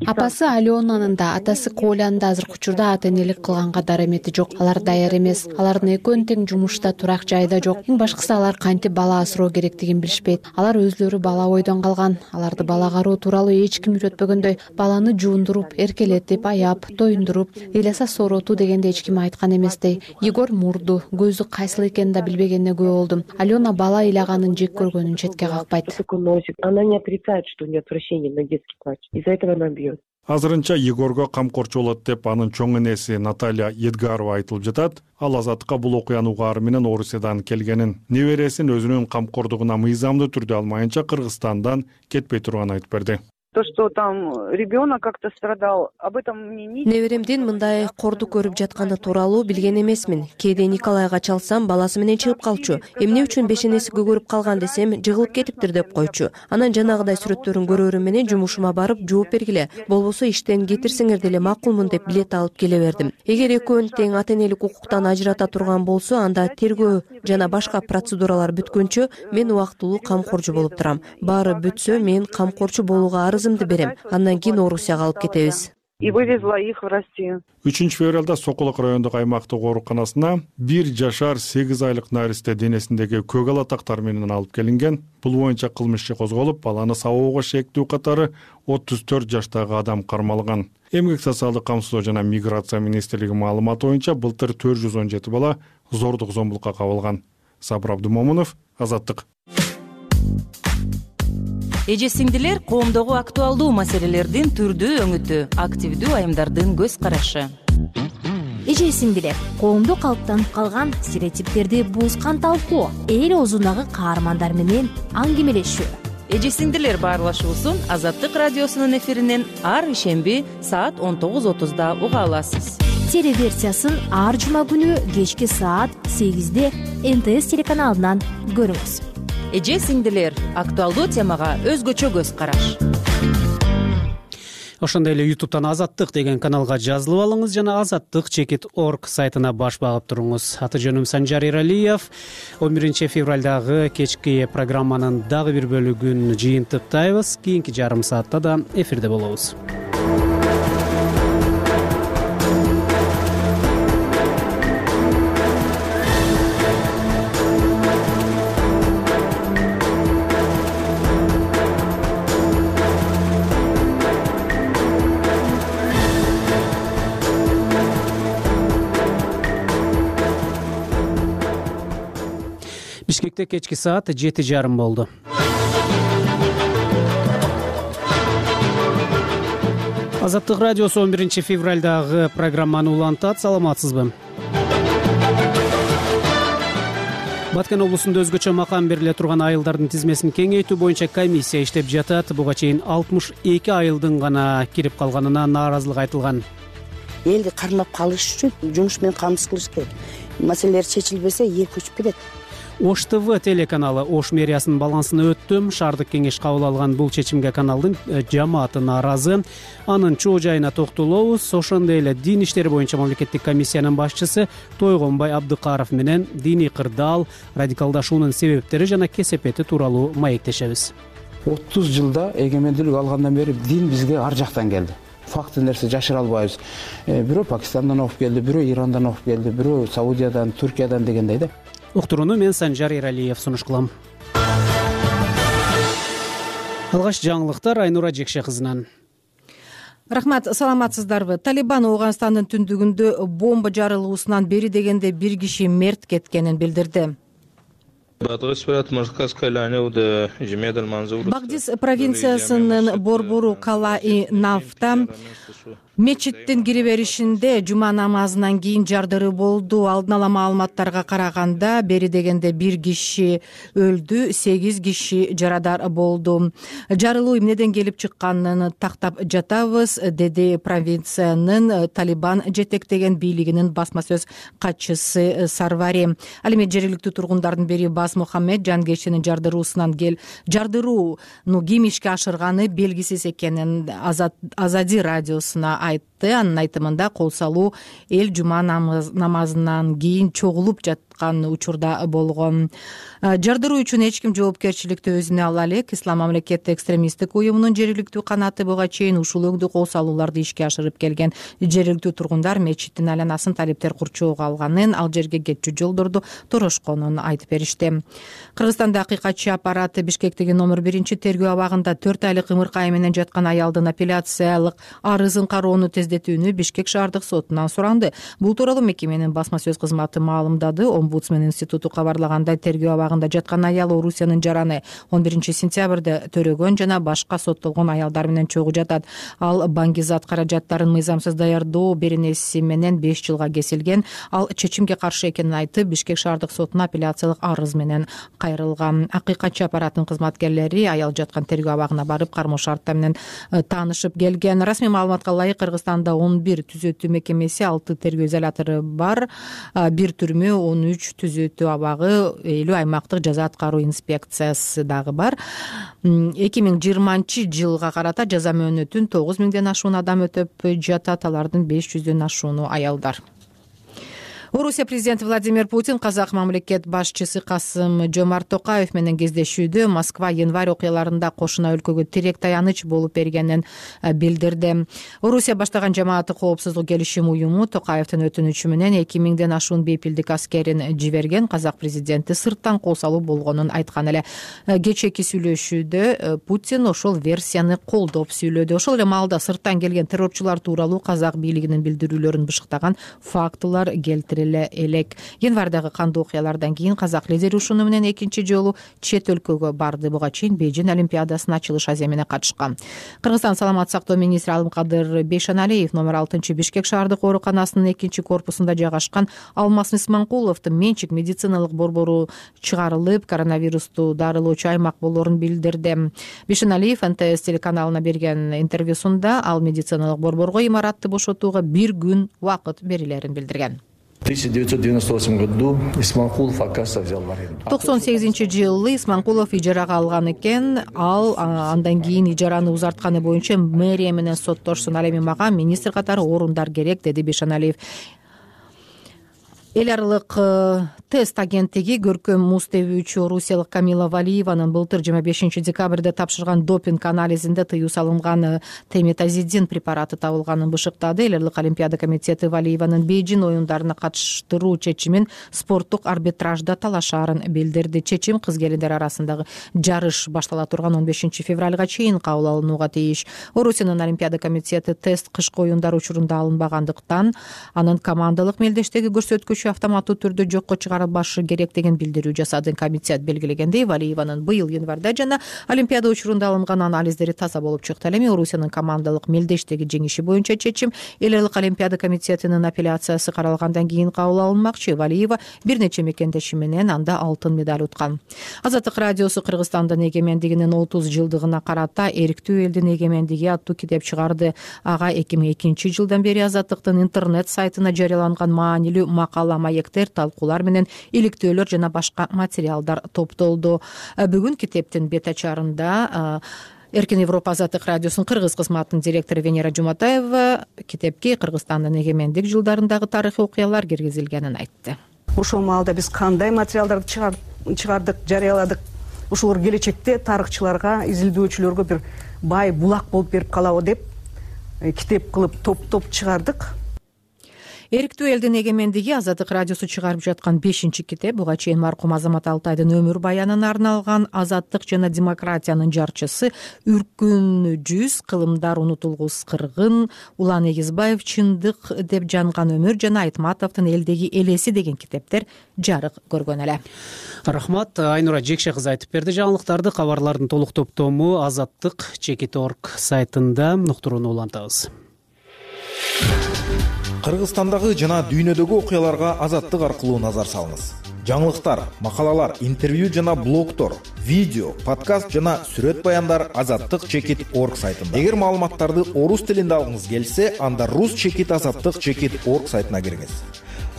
Апасы Аленанын да, атасы Колянын да азыркы учурда ата энелик кылганга дарамети жок. Алар даяр эмес. Алардын экөөнү тең жумушта, турак жайда жок. Эң башкысы алар кантип бала асыроо керектигин билишпейт. Алар өзлөрү бала бойдон калган. Аларды бала кароо тууралуу эч ким үйрөтпөгөндөй, баланы жуундуруп, эркелетип, аяп, тоюндуруп, ыйласа сооротуу дегенде эч ким айткан эместей. Егор мурду, көзү кайсыл экенин да билбегенине күбө болдум. Алена бала ыйлаганын жек көргөнүн четке какпайт. Она не отрицает, что у нее отвращение на детский плач. Из-за этого она бьет. Азырынча Егорго камкорчу болот деп анын чоң энеси Наталья Едгарова айтылып жатат. Ал Азаттыкка бул окуянын угаары менен Орусиядан келгенин, небересин өзүнүн камкордугуна мыйзамдуу түрдө алмайынча Кыргызстандан кетпей турганын айтып берди. То, что там ребенок как-то страдал, об этом мне не... Неберемдин мындай корду көрүп жатканы тууралуу билген эмесмин. Кээде Николайга чалсам, баласы менен чыгып калчу. Эмне үчүн бешенесиге көрүп калган десем, жыгылып кетиптир деп койчу. Анан жанагыдай сүрөттөрүн көрөрүм менен жумушума барып жооп бергиле. Болбосо иштен кетирсеңер деле макулмун деп билет алып келе бердим. Эгер экөөнү тең ата энелик укуктан ажырата турган болсо, анда тергөө жана башка процедуралар бүткөнчө мен убактылуу камкорчу болуп турам. Баары бүтсө, мен камкорчу болууга арызымды берем. Андан кийин Орусияга алып кетебиз. И вывезла их в Россию. 3 февралда Сокулук райондук аймактык ооруканасына 1 жашар 8 айлык наристе денесиндеги көк ала тактар менен алып келинген. Бул боюнча кылмыш иши козголуп, баланы сабоого шектүү катары 34 жаштагы адам кармалган. Эмгек социалдык камсыздоо жана миграция министрлиги маалыматы боюнча былтыр 417 бала зордук зомбулукка кабылган. Сабыр Абдумомунов, Азаттык. Эже сиңдилер, коомдогу актуалдуу маселелердин түрдүү өңүтү, активдүү айымдардын көз карашы. Эже сиңдилер, коомдо калыптанып калган стереотиптерди буузган талкуу, эл оозундагы каармандар менен аңгемелешүү. Эже сиңдилер баарлашуусун Азаттык радиосунун эфиринен ар ишемби саат 19:30 уга аласыз. Телеверсиясын ар жума күнү кечки саат 8-де НТС телеканалынан көрүңүз. Эже сиңдилер, актуалдуу темага өзгөчө көз караш. Ошондой эле YouTube'тан Азаттык деген каналга жазылып алыңыз жана azattik.org сайтына баш багып туруңуз. Аты жөнүм Санжар Эралиев. 11 февралдагы кечки программанын дагы бир бөлүгүн жыйынтыктайбыз. Кийинки жарым саатта да эфирде болобуз. Бишкекте кечки саат 7:30 болду. Азаттык радиосу 11 февралдагы программаны улантат. Саламатсызбы? Баткен облусунда өзгөчө макам бериле турган айылдардын тизмесин кеңейтүү боюнча комиссия иштеп жатат. Буга чейин 62 айылдын гана кирип калганына нааразылык айтылган. Элди кармап калыш үчүн жумуш менен камсыз кылыш керек. Маселелер чечилбесе эл көчүп кетет. Ош ТВ телеканалы Ош мэриясынын балансына өттүм. Шаардык кеңеш кабыл алган бул чечимге каналдын жамааты нааразы. Анын чоо жайына токтолобуз. Ошондой эле дин иштери боюнча мамлекеттик комиссиянын башчысы Тойгонбай Абдыкаров менен диний кырдаал, радикалдашуунун себептери жана кесепети тууралуу маектешебиз. 30 жылда эгемендүүлүк алгандан бери дин бизге ар жактан келди. Факты нерсе жашыра албайбыз. Бирөө Пакистандан окуп келди, бирөө Ирандан окуп келди, бирөө Саудиядан, Түркиядан дегендей да. Уктурууну мен Санжар Эралиев сунуш кылам. Алгач жаңылыктар Айнура Жекше кызынан. Рахмат, саламатсыздарбы? Талибан Ооганстандын түндүгүндө бомба жарылуусунан бери дегенде бир киши мерт кеткенин билдирди. Багдис провинциясынын борбору Калаи Нафта мечиттин кире беришинде жума намазынан кийин жардыруу болду. Алдын ала маалыматтарга караганда бери дегенде бир киши өлдү, 8 киши жарадар болду. Жарылуу эмнеден келип чыкканын тактап жатабыз, деди провинциянын Талибан жетектеген бийлигинин басма сөз катчысы Сарвари. Ал эми жергиликтүү тургундардын бири Бас Мухаммед жангечинин жардырууну ким ишке ашырганы белгисиз экенин Азади радиосуна айтты. Анын айтымында кол салуу эл жума намазынан кийин чогулуп жаткан учурда болгон. Жардыруу үчүн эч ким жоопкерчиликти өзүнө ала элек. Ислам мамлекети экстремисттик уюмунун жергиликтүү канаты буга чейин ушул өңдүү кол салууларды ишке ашырып келген. Жергиликтүү тургундар мечиттин айланасын талиптер курчоого алганын, ал жерге кетчү жолдорду торошконун айтып беришти. Кыргызстанда акыйкатчы аппараты Бишкектеги номер 1-тергөө абагында 4 айлык ымыркай менен жаткан аялдын апелляциялык арызын кароону тездетүүнү Бишкек шаардык сотунан суранды. Бул тууралуу мекеменин басма сөз кызматы маалымдады. Омбудсмен институту кабарлагандай, тергөө абагында жаткан аял Орусиянын жараны 11 сентябрда төрөгөн жана башка соттолгон аялдар менен чогуу жатат. Ал баңгизат каражаттарын мыйзамсыз даярдоо беренеси менен 5 жылга кесилген. Ал чечимге каршы экенин айтып, Бишкек шаардык сотуна апелляциялык арыз менен кайрылган. Акыйкатчы аппараттын кызматкерлери аял жаткан тергөө абагына барып, кармоо шарттар менен таанышып келген. Расмий маалыматка ылайык Кыргызстанда 11 түзөтүү мекемеси, 6 тергөө изолятору бар, 1 түрмө, 13 түзөтүү абагы, 50 аймактык жаза аткаруу инспекциясы дагы бар. 2020 жылга карата жаза мөөнөтүн 9000ден ашуун адам өтөп жатат. Алардын 500дөн ашууну аялдар. Орусия президенти Владимир Путин казак мамлекет башчысы Касым-Жомарт Токаев менен кездешүүдө Москва январь окуяларында кошуна өлкөгө тирек таяныч болуп бергенин билдирди. Орусия баштаган жамааттык коопсуздук келишим уюму Токаевдин өтүнүчү менен 2000ден ашуун бейпилдик аскерин жиберген. Казак президенти сырттан кол салуу болгонун айткан эле. Кечээки сүйлөшүүдө Путин ошол версияны колдоп сүйлөдү. Ошол эле маалда сырттан келген террорчулар тууралуу казак бийлигинин билдирүүлөрүн бышыктаган фактылар келтирилди элек. Январдагы кандуу окуялардан кийин казак лидери ушуну менен экинчи жолу чет өлкөгө барды. Буга чейин Бейжин олимпиадасына ачылыш азия менен катышкан. Кыргызстан саламаттык сактоо министри Алымкадыр Бейшаналиев номер 6 Бишкек шаардык ооруканасынын 2-корпусунда жайгашкан Алмаз Исманкуловдун менчик медициналык борбору чыгарылып, коронавирусту дарылоочу аймак болоорун билдирди. Бейшаналиев НТС телеканалына берген интервьюсунда ал медициналык борборго имаратты бошотууга 1 күн убакыт берилерин билдирген. В 1998 году Исманкулов, оказывается, взял в аренду. 98-жылы Исманкулов ижарага алган экен. Ал андан кийин ижараны узартканы боюнча мэрия менен соттошсун. Ал эми мага министр катары орундар керек, деди Бешеналиев. Эл аралык тест агенттиги көркөм муз тебүүчү орусиялык Камила Валиеванын былтыр 25 декабрда тапшырган допинг анализинде тыюу салынган теметазидин препараты табылганын бышыктады. Эл аралык Олимпиада комитети Валиеванын Бейжин оюндарына катыштыруу чечимин спорттук арбитражда талашаарын билдирди. Чечим кыз-келиндер арасындагы жарыш баштала турган 15 февралга чейин кабыл алынууга тийиш. Орусиянын Олимпиада комитети тест кышкы оюндар учурунда алынбагандыктан анын командалык мелдештеги көрсөткүчү автоматтуу түрдө жокко чыгарылбашы керек деген билдирүү жасады. Комитет белгилегендей, Валиеванын быйыл январда жана Олимпиада учурунда алынган анализдери таза болуп чыкты. Ал эми Орусиянын командалык мелдештеги жеңиши боюнча чечим Эл аралык Олимпиада комитетинин апелляциясы каралгандан кийин кабыл алынмакчы. Валиева бир нече мекендеши менен анда алтын медаль уткан. Азаттык радиосу Кыргызстандын эгемендигинин 30 жылдыгына карата Эриктүү элдин эгемендиги аттуу китеп чыгарды. Ага 2002 жылдан бери Азаттыктын интернет сайтына жарыяланган маанилүү макала, маектер, талкуулар менен иликтөөлөр жана башка материалдар топтолду. Бүгүн китептин бет ачарында Эркин Европа Азаттык радиосунун кыргыз кызматынын директору Венера Жуматаева китепке Кыргызстандын эгемендик жылдарындагы тарыхый окуялар киргизилгенин айтты. Ошол маалда биз кандай материалдарды чыгардык, жарыяладык, ошолор келечекте тарыхчыларга, изилдөөчүлөргө бир бай булак болуп берип калабы деп китеп кылып топ чыгардык. Эриктүү элдин эгемендиги Азаттык радиосу чыгарып жаткан 5-китеп. Буга чейин маркум Азамат Алтайдын өмүр баянына арналган Азаттык жана демократиянын жарчысы, Үркүн жүз, кылымдар унутулгус кыргын, Улан Эгизбаев чындык деп жанган өмүр жана Айтматовдун элдеги элеси деген китептер жарык көргөн эле. Рахмат. Айнура Жекше кызы айтып берди жаңылыктарды. Кабарлардын толук топтому azattik.org сайтында уктурууну улантабыз. Кыргызстандагы жана дүйнөдөгү окуяларга Азаттык аркылуу назар салыңыз. Жаңылыктар, макалалар, интервью жана блогтор, видео, подкаст жана сүрөт баяндар azattik.org сайтында. Эгер маалыматтарды орус тилинде алгыңыз келсе, анда rus.azattik.org сайтына кириңиз.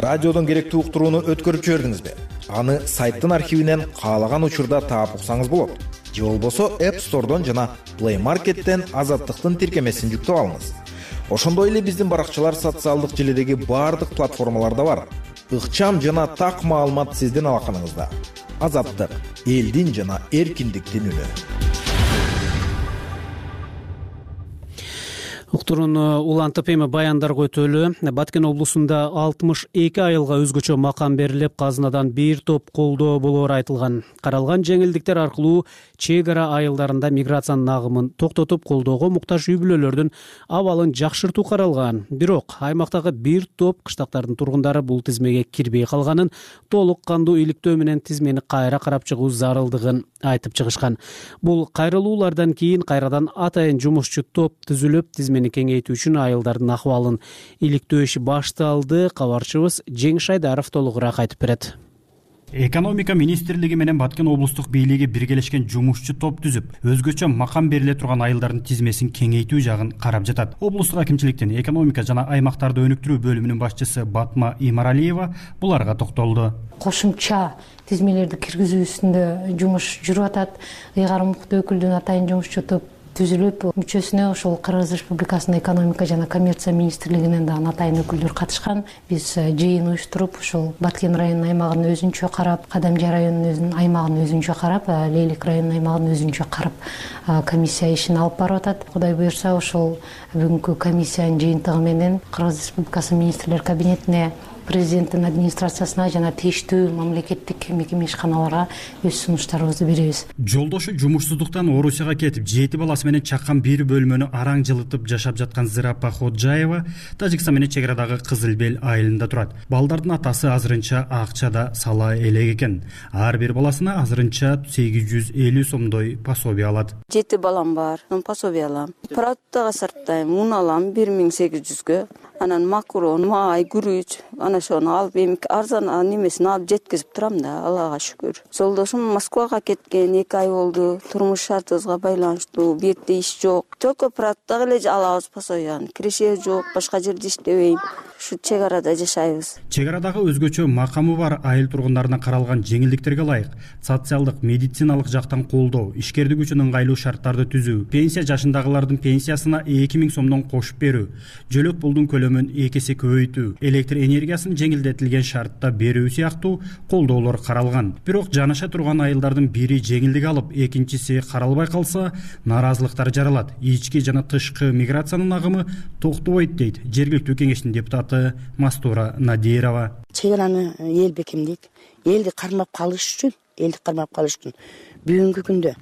Радиодон керектүү уктурууну өткөрүп жибердиңизби? Аны сайттын архивинен каалаган учурда таап уксаңыз болот. Же болбосо App Store'дон жана Play Market'тен Азаттыктын тиркемесин жүктөп алыңыз. Ошондой эле биздин баракчалар социалдык желедеги баардык платформаларда бар. Ыкчам жана так маалымат сиздин алаканыңызда. Азаттык, элдин жана эркиндиктин үнү. Уктурууну улантып эми баяндарга өтөлү. Баткен облусунда 62 айылга өзгөчө макам берилип, казынадан бир топ колдоо болоору айтылган. Каралган жеңилдиктер аркылуу чек ара айылдарында миграциянын агымын токтотуп, колдоого муктаж үй бүлөлөрдүн абалын жакшыртуу каралган. Бирок аймактагы бир топ кыштактардын тургундары бул тизмеге кирбей калганын, толук кандуу иликтөө менен тизмени кайра карап чыгуу зарылдыгын айтып чыгышкан. Бул кайрылуулардан кийин кайрадан атайын жумушчу топ түзүлүп, тизмени кеңейтүү үчүн айылдардын акыбалын иликтөө иши башталды. Кабарчыбыз Жеңиш Айдаров толугураак айтып берет. Экономика министрлиги менен Баткен облустук бийлиги биргелешкен жумушчу топ түзүп, өзгөчө макам бериле турган айылдардын тизмесин кеңейтүү жагын карап жатат. Облустук акимчиликтин экономика жана аймактарды өнүктүрүү бөлүмүнүн башчысы Батма Имаралиева буларга токтолду. Кошумча тизмелерди киргизүү үстүндө жумуш жүрүп атат. Ыйгарым укуктуу өкүлдүн атайын жумушчу топ түзүлүп, мүчөсүнө ошол Кыргыз Республикасынын экономика жана коммерция министрлигинен дагы атайын өкүлдөр катышкан. Биз жыйын уюштуруп, ошол Баткен районунун аймагын өзүнчө карап, Кадамжа районунун аймагын өзүнчө карап, Лейлик районунун аймагын өзүнчө карап комиссия ишин алып барып атат. Кудай буюрса, ошол бүгүнкү комиссиянын жыйынтыгы менен Кыргыз Республикасынын министрлер кабинетине, президенттин администрациясына жана тийиштүү мамлекеттик мекеме ишканаларга өз сунуштарыбызды беребиз. Жолдошу жумушсуздуктан Орусияга кетип, 7 баласы менен чаккан бир бөлмөнү араң жылытып жашап жаткан Зырапа Ходжаева Тажикстан менен чек арадагы Кызыл Бел айылында турат. Балдардын атасы азырынча акчада сала элек экен. Ар бир баласына азырынча 850 сомдой пособие алат. 7 балам бар, пособие алам. Продуктага сарптайм, ун алам 1800гө. Анан макарон, май, күрүч, ана ошону алып, эми арзан немесин алып жеткизип турам да, Аллага шүгүр. Жолдошум Москвага кеткен 2 ай болду. Турмуш шартыбызга байланыштуу, бу жерде иш жок. Только продуктага эле алабыз пособияны. Киреше жок, башка жерде иштебейм. ушу чек арада жашайбыз. Чек арадагы өзгөчө макамы бар айыл тургундарына каралган жеңилдиктерге ылайык социалдык, медициналык жактан колдоо, ишкердик үчүн ыңгайлуу шарттарды түзүү, пенсия жашындагылардын пенсиясына 2000 сомдон кошуп берүү, жөлөк пулдун көлөмүн 2 эсе көбөйтүү, электр энергиясын жеңилдетилген шартта берүү сыяктуу колдоолор каралган. Бирок жанаша турган айылдардын бири жеңилдик алып, экинчиси каралбай калса, наразылыктар жаралат. Ички жана тышкы миграциянын агымы токтобойт дейт жергиликтүү кеңештин депутаты Мастура Надирова. Чек араны эл бекемдейт. Элди кармап калыш үчүн бүгүнкү күндө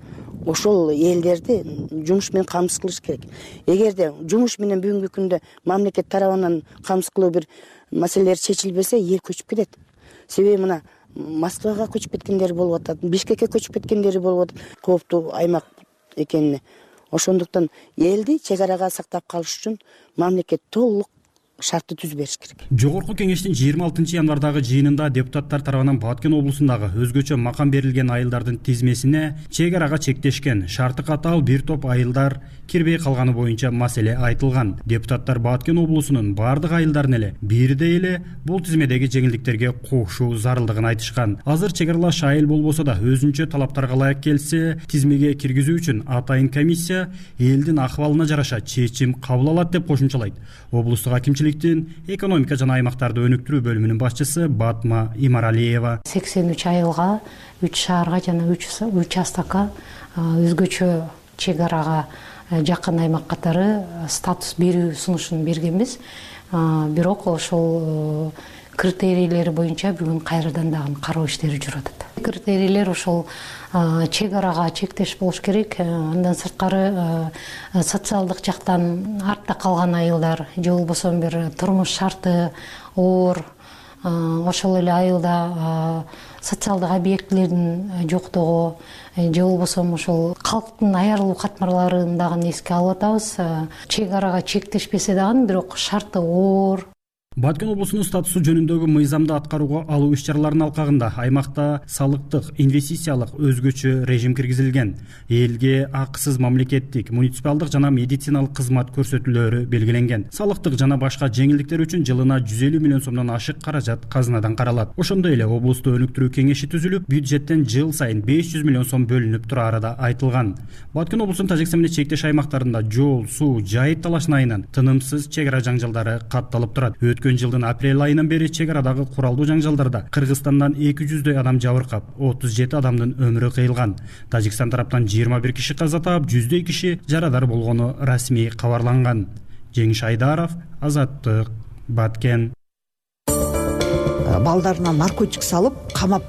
ошол элдерди жумуш менен камсыз кылыш керек. Эгерде жумуш менен бүгүнкү күндө мамлекет тарабынан камсыз кылуу бир маселелер чечилбесе, эл көчүп кетет. Себеби мына Москвага көчүп кеткендер болуп атат, Бишкекке көчүп кеткендери болуп атат. Кооптуу аймак экенине. Ошондуктан элди чек арага сактап калыш үчүн мамлекет толук шартты түзүп бериш керек. Жогорку кеңештин 26 январдагы жыйынында депутаттар тарабынан Баткен облусундагы өзгөчө макам берилген айылдардын тизмесине чек арага чектешкен шарты катаал бир топ айылдар кирбей калганы боюнча маселе айтылган. Депутаттар Баткен облусунун бардык айылдарын эле бирдей эле бул тизмедеги жеңилдиктерге кошуу зарылдыгын айтышкан. Азыр чек аралаш айыл болбосо да өзүнчө талаптарга ылайык келсе, тизмеге киргизүү үчүн атайын комиссия элдин акыбалына жараша чечим кабыл алат деп кошумчалайт облустук акимчиликтин экономика жана аймактарды өнүктүрүү бөлүмүнүн башчысы Батма Имаралиева. 83 айылга, 3 шаарга жана 3 участокко өзгөчө чек арага жакын аймак катары статус берүү сунушун бергенбиз. Бирок ошол критерийлери боюнча бүгүн кайрадан дагы кароо иштери жүрүп атат. Критерийлер ошол чек арага чектеш болуш керек. Андан сырткары социалдык жактан артта калган айылдар же болбосо бир турмуш шарты оор, ошол эле айылда социалдык объектилердин жоктугу же болбосо ошол калктын аярылуу катмарларын дагы эске алып атабыз. Чек арага чектешпесе дагы бирок шарты оор. Баткен облусунун статусу жөнүндөгү мыйзамды аткарууга алуу иш-чараларынын алкагында аймакта салыктык, инвестициялык өзгөчө режим киргизилген. Элге акысыз мамлекеттик, муниципалдык жана медициналык кызмат көрсөтүүлөрү белгиленген. Салыктык жана башка жеңилдиктер үчүн жылына 150 миллион сомдон ашык каражат казынадан каралат. Ошондой эле облусту өнүктүрүү кеңеши түзүлүп, бюджеттен жыл сайын 500 миллион сом бөлүнүп турары да айтылган. Баткен облусунун Тажикстан менен чектеш аймактарында жол, суу, жайыт талашына айынан тынымсыз чек ара жаңжалдары катталып турат. Өткөн жылдын апрель айынан бери чек арадагы куралдуу жаңжалдарда Кыргызстандан 200дөй адам жабыркап, 37 адамдын өмүрү кыйылган. Тажикстан тараптан 21 киши каза таап, 100дөй киши жарадар болгону расмий кабарланган. Жеңиш Айдаров, Азаттык, Баткен. Балдарына наркотик салып, камап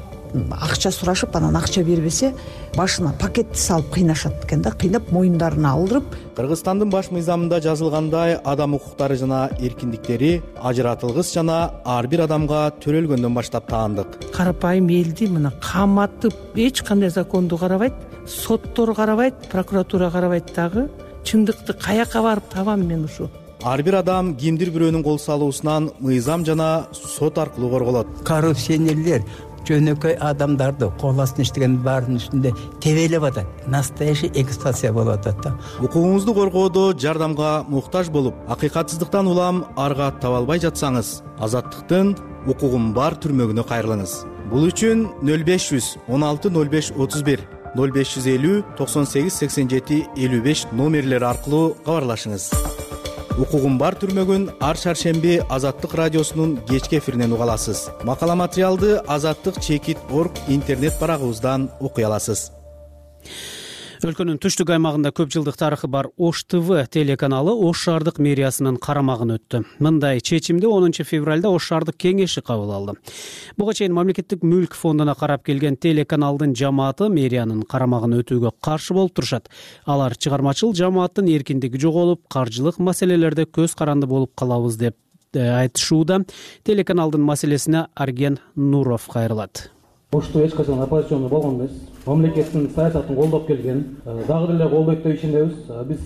акча сурашып, анан акча бербесе, башына пакетти салып кыйнашат экен да, кыйнап моюндарына алдырып. Кыргызстандын баш мыйзамында жазылгандай, адам укуктары жана эркиндиктери ажыратылгыс жана ар бир адамга төрөлгөндөн баштап таандык. Карапайым элди мына каматып, эч кандай законду карабайт, соттор карабайт, прокуратура карабайт дагы. Чындыкты каяка барып табам мен ушу? Ар бир адам кимдир бирөөнүн кол салуусунан мыйзам жана сот аркылуу корголот. Коррупционерлер жөнөкөй адамдарды кол астына иштеген баарынын үстүндө тебелеп атат. Настоящий эксплуатация болуп атат да. Укугуңузду коргоодо жардамга муктаж болуп, акыйкатсыздыктан улам арга таба албай жатсаңыз, Азаттыктын укугум бар түрмөгүнө кайрылыңыз. Бул үчүн 0500 16 05 31 0550 98 87 55 номерлери аркылуу кабарлашыңыз. Укугум бар түрмөгүн ар шаршемби Азаттык радиосунун кечки эфиринен уга аласыз. Макала материалды azattik.org интернет барагыбыздан окуй аласыз. Өлкөнүн түштүк аймагында көп жылдык тарыхы бар Ош ТВ телеканалы Ош шаардык мэриясынын карамагын өттү. Мындай чечимди 10 февралда Ош шаардык кеңеши кабыл алды. Буга чейин мамлекеттик мүлк фондуна карап келген телеканалдын жамааты мэриянын карамагын өтүүгө каршы болуп турушат. Алар чыгармачыл жамааттын эркиндиги жоголуп, каржылык маселелерде көз каранды болуп калабыз деп айтышууда. Телеканалдын маселесине Арген Нуров кайрылат. Ош ТВ эч качан оппозициондор болгон эмес. Мамлекеттин саясатын колдоп келген, дагы деле колдойт деп ишенебиз. Биз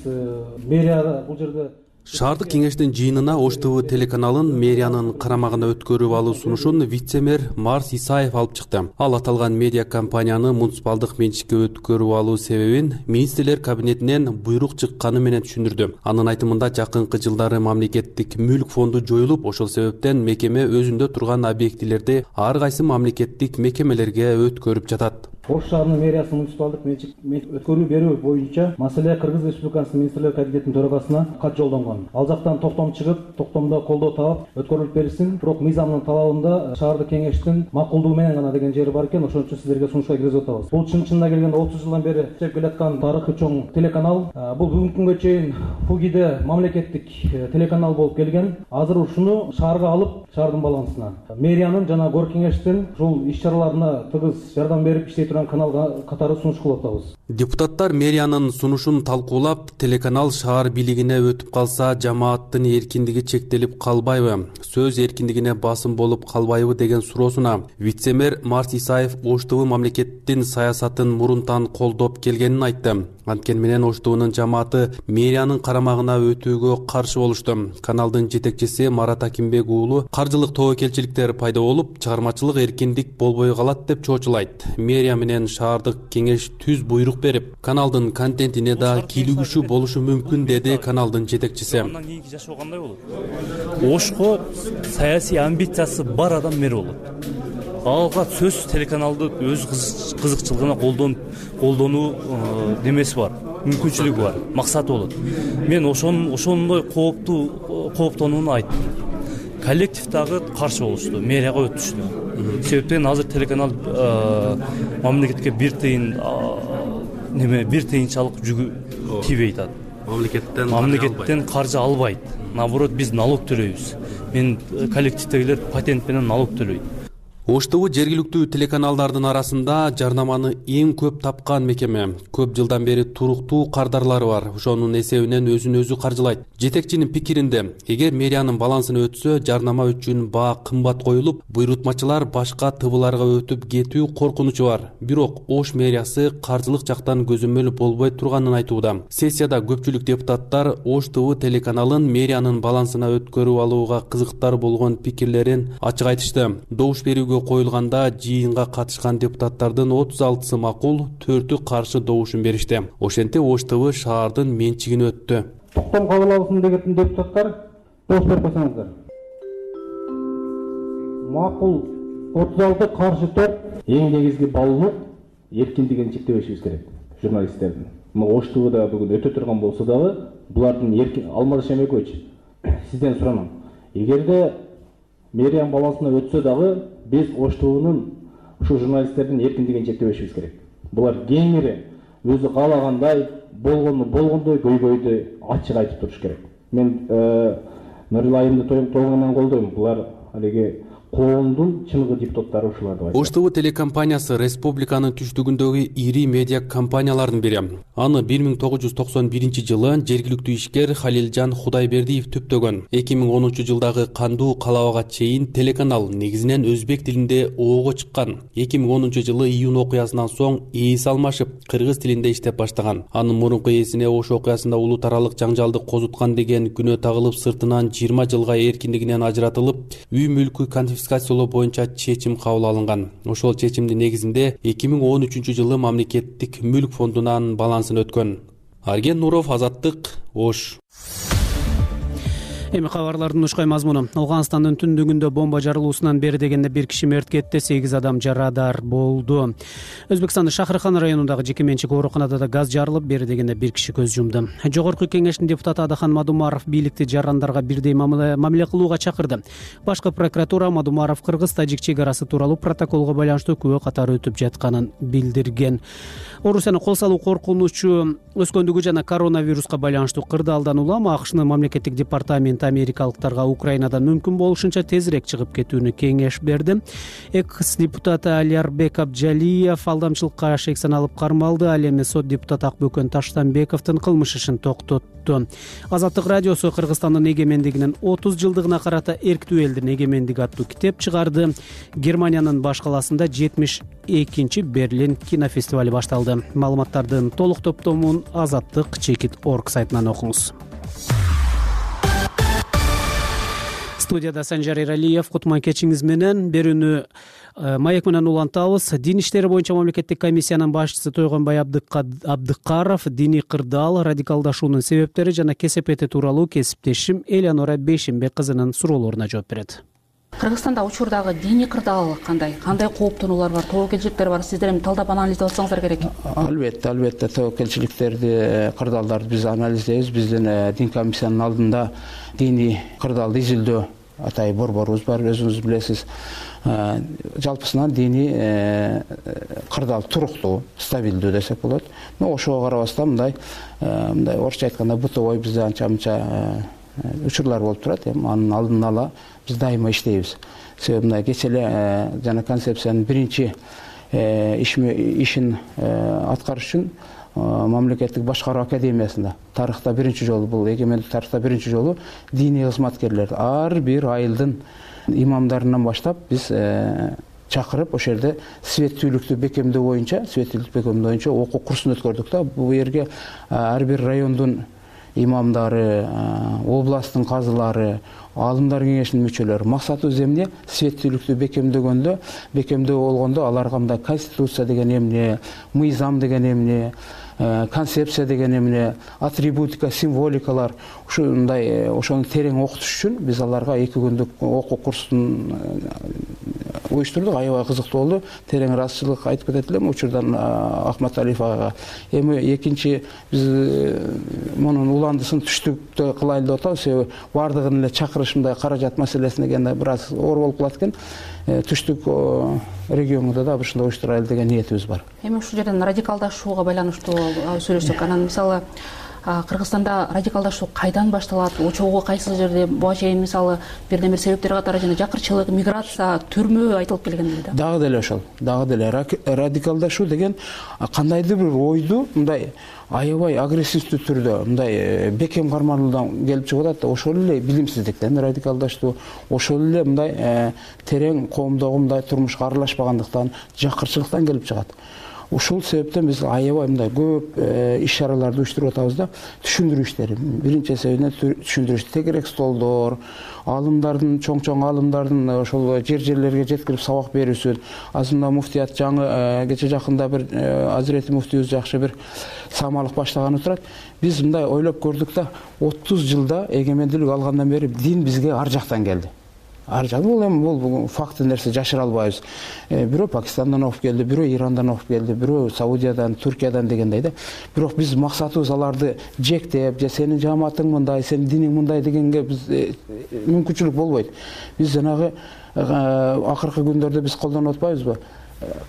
мэрия бул жерде Шаардык кеңештин жыйынына Ош ТВ телеканалын мэриянын карамагына өткөрүп алуу сунушун вице-мэр Марс Исаев алып чыкты. Ал аталган медиа компанияны муниципалдык менчикке өткөрүп алуу себебин министрлер кабинетинен буйрук чыкканы менен түшүндүрдү. Анын айтымында жакынкы жылдары мамлекеттик мүлк фонду жоюлуп, ошол себептен мекеме өзүндө турган объектилерди ар кайсы мамлекеттик мекемелерге өткөрүп жатат. Ош шаарынын мэриясы муниципалдык менчик өткөрүү берүү боюнча маселе Кыргыз Республикасынын министрлер кабинетинин төрагасына кат жолдонгон. Ал жактан токтом чыгып, токтомдо колдоо таап өткөрүлүп берилсин. Бирок мыйзамдын талабында шаардык кеңештин макулдугу менен гана деген жери бар экен. Ошон үчүн сиздерге сунушка киргизип атабыз. Бул чынында келгенде 30 жылдан бери иштеп келаткан тарыхый чоң телеканал. Бул бүгүнкү күнгө чейин ФУГИде мамлекеттик телеканал болуп келген. Азыр ушуну шаарга алып, шаардын балансына мэриянын жана горк кеңештин ушул иш-чараларына тыгыз жардам берип иштей турган каналга катары сунуш кылып атабыз. Депутаттар мэриянын сунушун талкуулап, телеканал шаар бийлигине өтүп калса жамааттын эркиндиги чектелип калбайбы, сөз эркиндигине басым болуп калбайбы деген суроосуна вице-мэр Марс Исаев Ош ТВ мамлекеттин саясатын мурунтан колдоп келгенин айтты. Анткени менен Ош ТВнын жамааты мэриянын карамагына өтүүгө каршы болушту. Каналдын жетекчиси Марат Акимбек уулу каржылык тобокелчиликтер пайда болуп, чыгармачылык эркиндик болбой калат деп чоочулайт. Мэрия менен шаардык кеңеш түз буйрук берип, каналдын контентине да кийлигишүү болушу мүмкүн, деди каналдын жетекчиси. Андан кийинки жашоо кандай болот? Ошко саясий амбициясы бар адам мэр болот. Алга сөз телеканалды өз кызыкчылыгына колдонуу немеси бар, мүмкүнчүлүгү бар, максаты болот. Мен ошондой кооптонууну айттым. Коллектив дагы каршы болушту, мэрияга өтүштү. Себептен азыр телеканал мамлекетке бир тыйынчалык жүгү тийбей атат. Мамлекеттен каржы албайт. Наоборот, биз налог төлөйбүз. Мен коллективдегилер патент менен налог төлөйт. Ош ТВ жергиликтүү телеканалдардын арасында жарнаманы эң көп тапкан мекеме. Көп жылдан бери туруктуу кардарлары бар. Ошонун эсебинен өзүн өзү каржылайт. Жетекчинин пикиринде, эгер мэриянын балансына өтсө, жарнама үчүн баа кымбат коюлуп, буйрутмачылар башка ТВларга өтүп кетүү коркунучу бар. Бирок Ош мэриясы каржылык жактан көзөмөл болбой турганын айтууда. Сессияда көпчүлүк депутаттар Ош ТВ телеканалын мэриянын балансына өткөрүп алууга кызыктар болгон пикирлерин ачык айтышты. Добуш берүүгө коюлганда жыйынга катышкан депутаттардын 36-сы макул, 4-ү каршы добушун беришти. Ошентип Ош ТВ шаардын менчигине өттү. Токтом кабыл алсын деген депутаттар добуш берип койсоңуздар. Макул 36, каршы 4. Эң негизги баллуу эркиндигин чектебешибиз керек журналисттердин. Ош ТВда бүгүн өтө турган болсо дагы булардын Алмаз Шемекович, сизден суранам. Эгерде мэриянын балансына өтсө дагы биз Ош ТВнын ушул журналисттердин эркиндигин чектебешибиз керек. Булар кеңири өзү каалагандай болгондой көйгөйдү ачык айтып туруш керек. Мен Нурилла айымды толугу менен колдойм. Булар алиги коомдун чыныгы депутаттары ушулар деп айтат. Ош ТВ телекомпаниясы республиканын түштүгүндөгү ири медиа компаниялардын бири. Аны 1991-жылы жергиликтүү ишкер Халилжан Худайбердиев түптөгөн. 2010 жылдагы кандуу калабага чейин телеканал негизинен өзбек тилинде оого чыккан. 2010 жылы июнь окуясынан соң ээс алмашып, кыргыз тилинде иштеп баштаган. Анын мурунку ээсине Ош окуясында улуу таралык жаңжалды козуткан деген күнөө тагылып, сыртынан 20 жылга эркиндигинен ажыратылып, үй мүлкү конфискациялоо боюнча чечим кабыл алынган. Ошол чечимдин негизинде 2013 жылы мамлекеттик мүлк фондунан балансына өткөн. Арген Нуров, Азаттык, Ош. Эми кабарлардын ушкай мазмуну. Афганстандын түндүгүндө бомба жарылуусунан бери дегенде 1 киши мерт кетти, 8 адам жарадар болду. Өзбекстандын Шахрхан районундагы жеке менчик ооруканада да газ жарылып, бери дегенде 1 киши көз жумду. Жогорку кеңештин депутаты Адахан Мадумаров бийликти жарандарга бирдей мамиле кылууга чакырды. Башкы прокуратура Мадумаров кыргыз-тажик чек арасы тууралуу протоколго байланыштуу күбө катары өтүп жатканын билдирген. Орусияны кол салуу коркунучу өскөндүгү жана коронавируска байланыштуу кырдаалдан улам АКШнын мамлекеттик департаменти америкалыктарга Украинадан мүмкүн болушунча тезирээк чыгып кетүүнү кеңеш берди. Экс-депутат Алиарбек Абджалиев алдамчылыкка шек саналып кармалды. Ал эми сот депутаты Акбөкөн Таштанбековдун кылмыш ишин токтотту. Азаттык радиосу Кыргызстандын эгемендигинин 30 жылдыгына карата эрктүү элдин эгемендиги аттуу китеп чыгарды. Германиянын баш каласында 72-чи Берлин кинофестивали башталды. Маалыматтардын толук топтомун Азаттык Чекит.org сайтынан окуңуз. Студияда Санжар Эралиев. Кутман кечиңиз менен. Берүүнү маек менен улантабыз. Дин иштери боюнча мамлекеттик комиссиянын башчысы Тойгонбай Абдыкаров диний кырдаал, радикалдашуунун себептери жана кесепети тууралуу кесиптешим Элеонора Бейшимбек кызынын суроолоруна жооп берет. Кыргызстанда учурдагы диний кырдаал кандай кооптонуулар бар, тобокелчиликтер бар? Сиздер эми талдап анализдеп атсаңыздар керек. Албетте тобокелчиликтерди, кырдаалдарды биз анализдейбиз. Биздин дин комиссиянын алдында диний кырдаалды изилдөө атай борборубуз бар, өзүңүз билесиз. Жалпысынан диний кырдаал туруктуу, стабилдүү десек болот. Ошого карабастан мындай орусча айтканда бытовой бизде анча-мынча учурлар болуп турат. Анын алдын ала биз дайыма иштейбиз. Себеби мындай кечээ эле жана концепциянын биринчи ишин аткарыш үчүн мамлекеттик башкаруу академиясында тарыхта биринчи жолу, бул эгемендик тарыхта биринчи жолу диний кызматкерлер ар бир айылдын имамдарынан баштап биз чакырып ошол жерде светтүүлүктү бекемдөө боюнча окуу курсун өткөрдүк да. Бул жерге ар бир райондун имамдары, областтын казылары, аалымдар кеңешинин мүчөлөрү. Максатыбыз эмне? Светтүүлүктү бекемдөө болгондо аларга мындай конституция деген эмне, мыйзам деген эмне, концепция деген эмне, атрибутика, символикалар ушундай ошону терең окутуш үчүн биз аларга 2 күндүк окуу курсун уюштурдук. Аябай кызыктуу болду. Терең ыраазычылык айтып кетет элем учурдан Ахматалиев агага. Эми экинчи биз мунун уландысын түштүктө кылайлы деп атабыз. Себеби бардыгын эле чакырыш мындай каражат маселесине келгенде бир аз оор болуп калат экен. Түштүк регионунда да ушундай уюштурайлы деген ниетибиз бар. Эми ушул жерден радикалдашууга байланыштуу сүйлөшсөк, анан мисалы Кыргызстанда радикалдашуу кайдан башталат? Чогуу кайсы жерде? Буга чейин мисалы бирден бир себептер катары жана жакырчылык, миграция, түрмө айтылып келген эле. Дагы деле ошол. Радикалдашуу деген кандайдыр бир ойду мындай аябай агрессивдүү түрдө мындай бекем кармануудан келип чыгып атат да. Ошол эле билимсиздиктен радикалдаштуу, ошол эле мындай терең коомдогу мындай турмушка аралашпагандыктан, жакырчылыктан келип чыгат. Ушул себептен биз аябай мындай көп иш-чараларды уюштуруп атабыз да. Түшүндүрүү иштери. Биринчи себебинен түшүндүрүү, тегерек столдор, аалымдардын, чоң аалымдардын ошол жерлерге жеткирип сабак берүүсүн. Азында муфтият жаңы кече жакында бир Азирети муфтийибиз жакшы бир самалык баштаганы турат. Биз мындай ойлоп көрдүк да, 30 жылда эгемендүүлүк алгандан бери дин бизге ар жактан келди. Бул факты нерсе жашыра албайбыз. Бирөө Пакистандан окуп келди, бирөө Ирандан окуп келди, бирөө Саудиядан, Түркиядан дегендей да. Бирок биз максатыбыз аларды жектеп, же сенин жамаатың мындай, сенин диниң мындай дегенге биз мүмкүнчүлүк болбойт. Биз жанагы акыркы күндөрдө биз колдонуп атпайбызбы?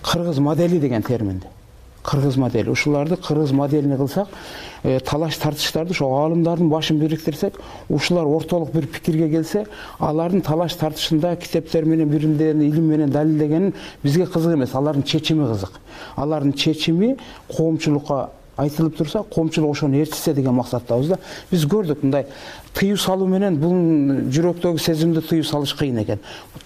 Кыргыз модели деген терминди. Кыргыз модели. Ушуларды кыргыз моделине кылсак, талаш тартыштарды ошо аалымдардын башын бириктирсек, ушулар ортолук бир пикирге келсе, алардын талаш тартышында китептер менен биримден илим менен далилдегенин бизге кызык эмес, алардын чечими кызык. Алардын чечими коомчулукка айтылып турса, коомчулук ошону ээрчитсе деген максаттабыз да. Биз көрдүк мындай тыюу салуу менен бул жүрөктөгү сезимди тыюу салыш кыйын экен.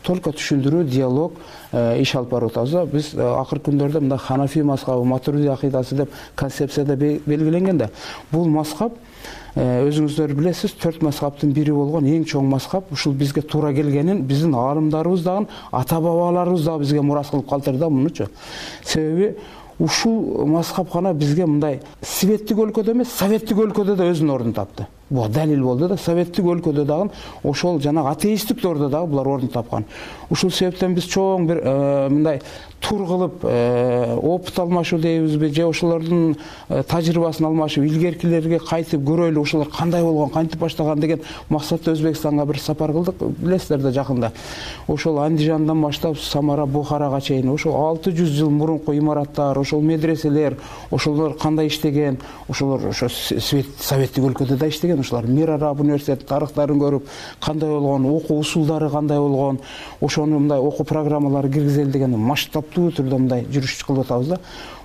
Только түшүндүрүү, диалог иш алып барып атабыз да. Биз акыркы күндөрдө мындай Ханафи мазхабы, Матуриди акыйдасы деп концепцияда белгиленген да. Бул мазхаб өзүңүздөр билесиз, 4 мазхабтын бири болгон эң чоң мазхаб. Ушул бизге туура келгенин биздин аалымдарыбыз дагы, ата бабаларыбыз дагы бизге мурас кылып калтырды да мунучу. Себеби ушул мазхабкана бизге мындай светтик өлкөдө эмес, советтик өлкөдө да өзүнүн ордун тапты. Бул далил болду да, советтик өлкөдө дагы ошол жана атеисттик дордо дагы булар ордун тапкан. Ушул себептен биз чоң бир мындай тур кылып опыт алмашуу дейбизби, же ошолордун тажрыйбасын алмашып, илгеркилерге кайтып көрөлү, ошолор кандай болгон, кантип баштаган деген максатта Өзбекстанга бир сапар кылдык. Билесиздер да жакында. Ошол Андижандан баштап Самара, Бухарага чейин ошол 600 жыл мурунку имараттар, ошол медреселер, ошолор кандай иштеген, ошолор ошо советтик өлкөдө да иштеген. Ошолар Мир Араб университетинин тарыхтарын көрүп, кандай болгон, окуу усулдары кандай болгон, ошону мындай окуу программалары киргизели деген масштабтуу түрдө мындай жүрүш кылып атабыз да.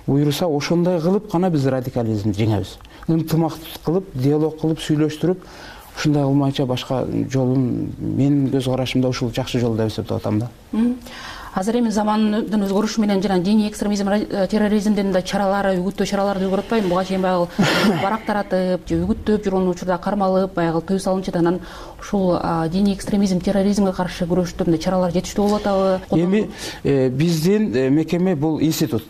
Буюрса ошондой кылып гана биз радикализмди жеңебиз. Ынтымактык кылып, диалог кылып, сүйлөштүрүп, ушундай кылмайча башка жолун менин көз карашымда ушул жакшы жол деп эсептеп атам да. азыр эми замандын өзгөрүшү менен жана диний экстремизм, терроризмдин да чаралары, үгүттөө чараларды өзгөрүп атпайбы? Буга чейин баягы барак таратып же үгүттөп жүргөн учурда кармалып, баягы тыюу салынчу, анан ушул диний экстремизм, терроризмге каршы күрөштө мындай чаралар жетиштүү болуп атабы? Эми биздин мекеме бул институт.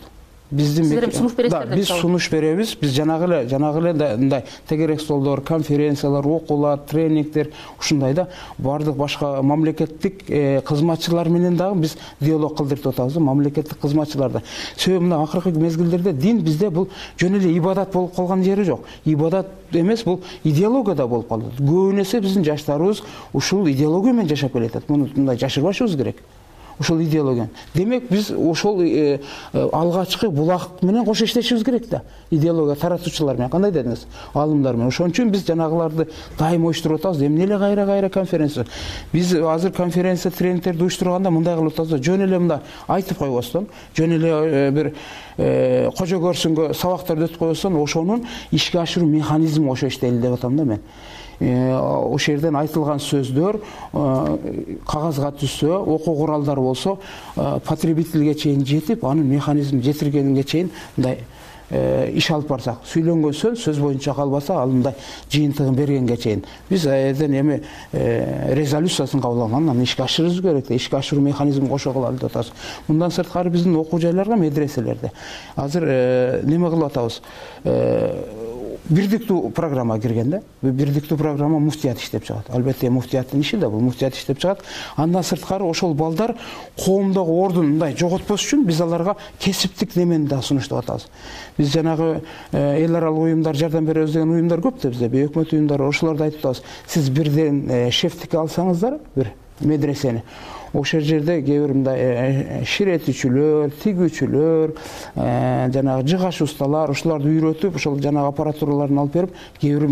Сиздер сунуш бересиздер да? Биз сунуш беребиз. Биз жанагы эле мындай тегерек столдор, конференциялар, окуулар, тренингдер ушундай да баардык башка мамлекеттик кызматчылар менен дагы биз диалог кылдырып атабыз, мамлекеттик кызматчыларда. Себеби мына акыркы мезгилдерде дин бизде бул жөн эле ибадат болуп калган жери жок. Ибадат эмес, бул идеология да болуп калды. Көбүн эсе биздин жаштарыбыз ушул идеология менен жашап келатат. Муну мындай жашырбашыбыз керек. Ушул идеология. Демек биз ошол алгачкы булак менен кошо иштешибиз керек да. Идеология таратуучулар менен, кандай дедиңиз? Алымдар менен. Ошон үчүн биз жанагыларды дайым оюштуруп атабыз. Эмне эле кайра конференция. Биз азыр конференция тренингтерди уюштурганда мындай кылып атабыз. Жөн эле мындай айтып койбостон, жөн эле бир кожо көрсүнгө сабактарды өтүп койбостон, ошонун ишке ашыруу механизми ошо иштейли деп атам да мен. Ошол жерден айтылган сөздөр кагазга түшсө, окуу куралдары болсо, потребительге чейин жетип, анын механизмин жетиргенге чейин мындай иш алып барсак, сүйлөнгөн сөз боюнча калбаса, ал мындай жыйынтыгын бергенге чейин биз айдан эми резолюциясын кабыл алган, анан ишке ашырыбыз керек, ишке ашыруу механизмин кошо кылалы деп атабыз. Мындан сырткары биздин окуу жайларга, медреселерде азыр неме кылып атабыз? Бирдиктүү программа кирген да. Бирдиктүү программа муфтият иштеп чыгат. Албетте муфтияттын иши да бул, муфтият иштеп чыгат. Андан сырткары ошол балдар коомдогу ордун мындай жоготпош үчүн биз аларга кесиптик немени да сунуштап атабыз. Биз жанагы эл аралык уюмдар, жардам беребиз деген уюмдар көп да бизде, өкмөт уюмдары, ошолорду айтып атабыз. Сиз бирден шефтикке алсаңыздар, бир медресени, ошол жерде кээ бир мындай ширетүүчүлөр, тигүүчүлөр, жанагы жыгач усталар, ошолорду үйрөтүп, ошол жанагы аппаратураларын алып берип, кээ бир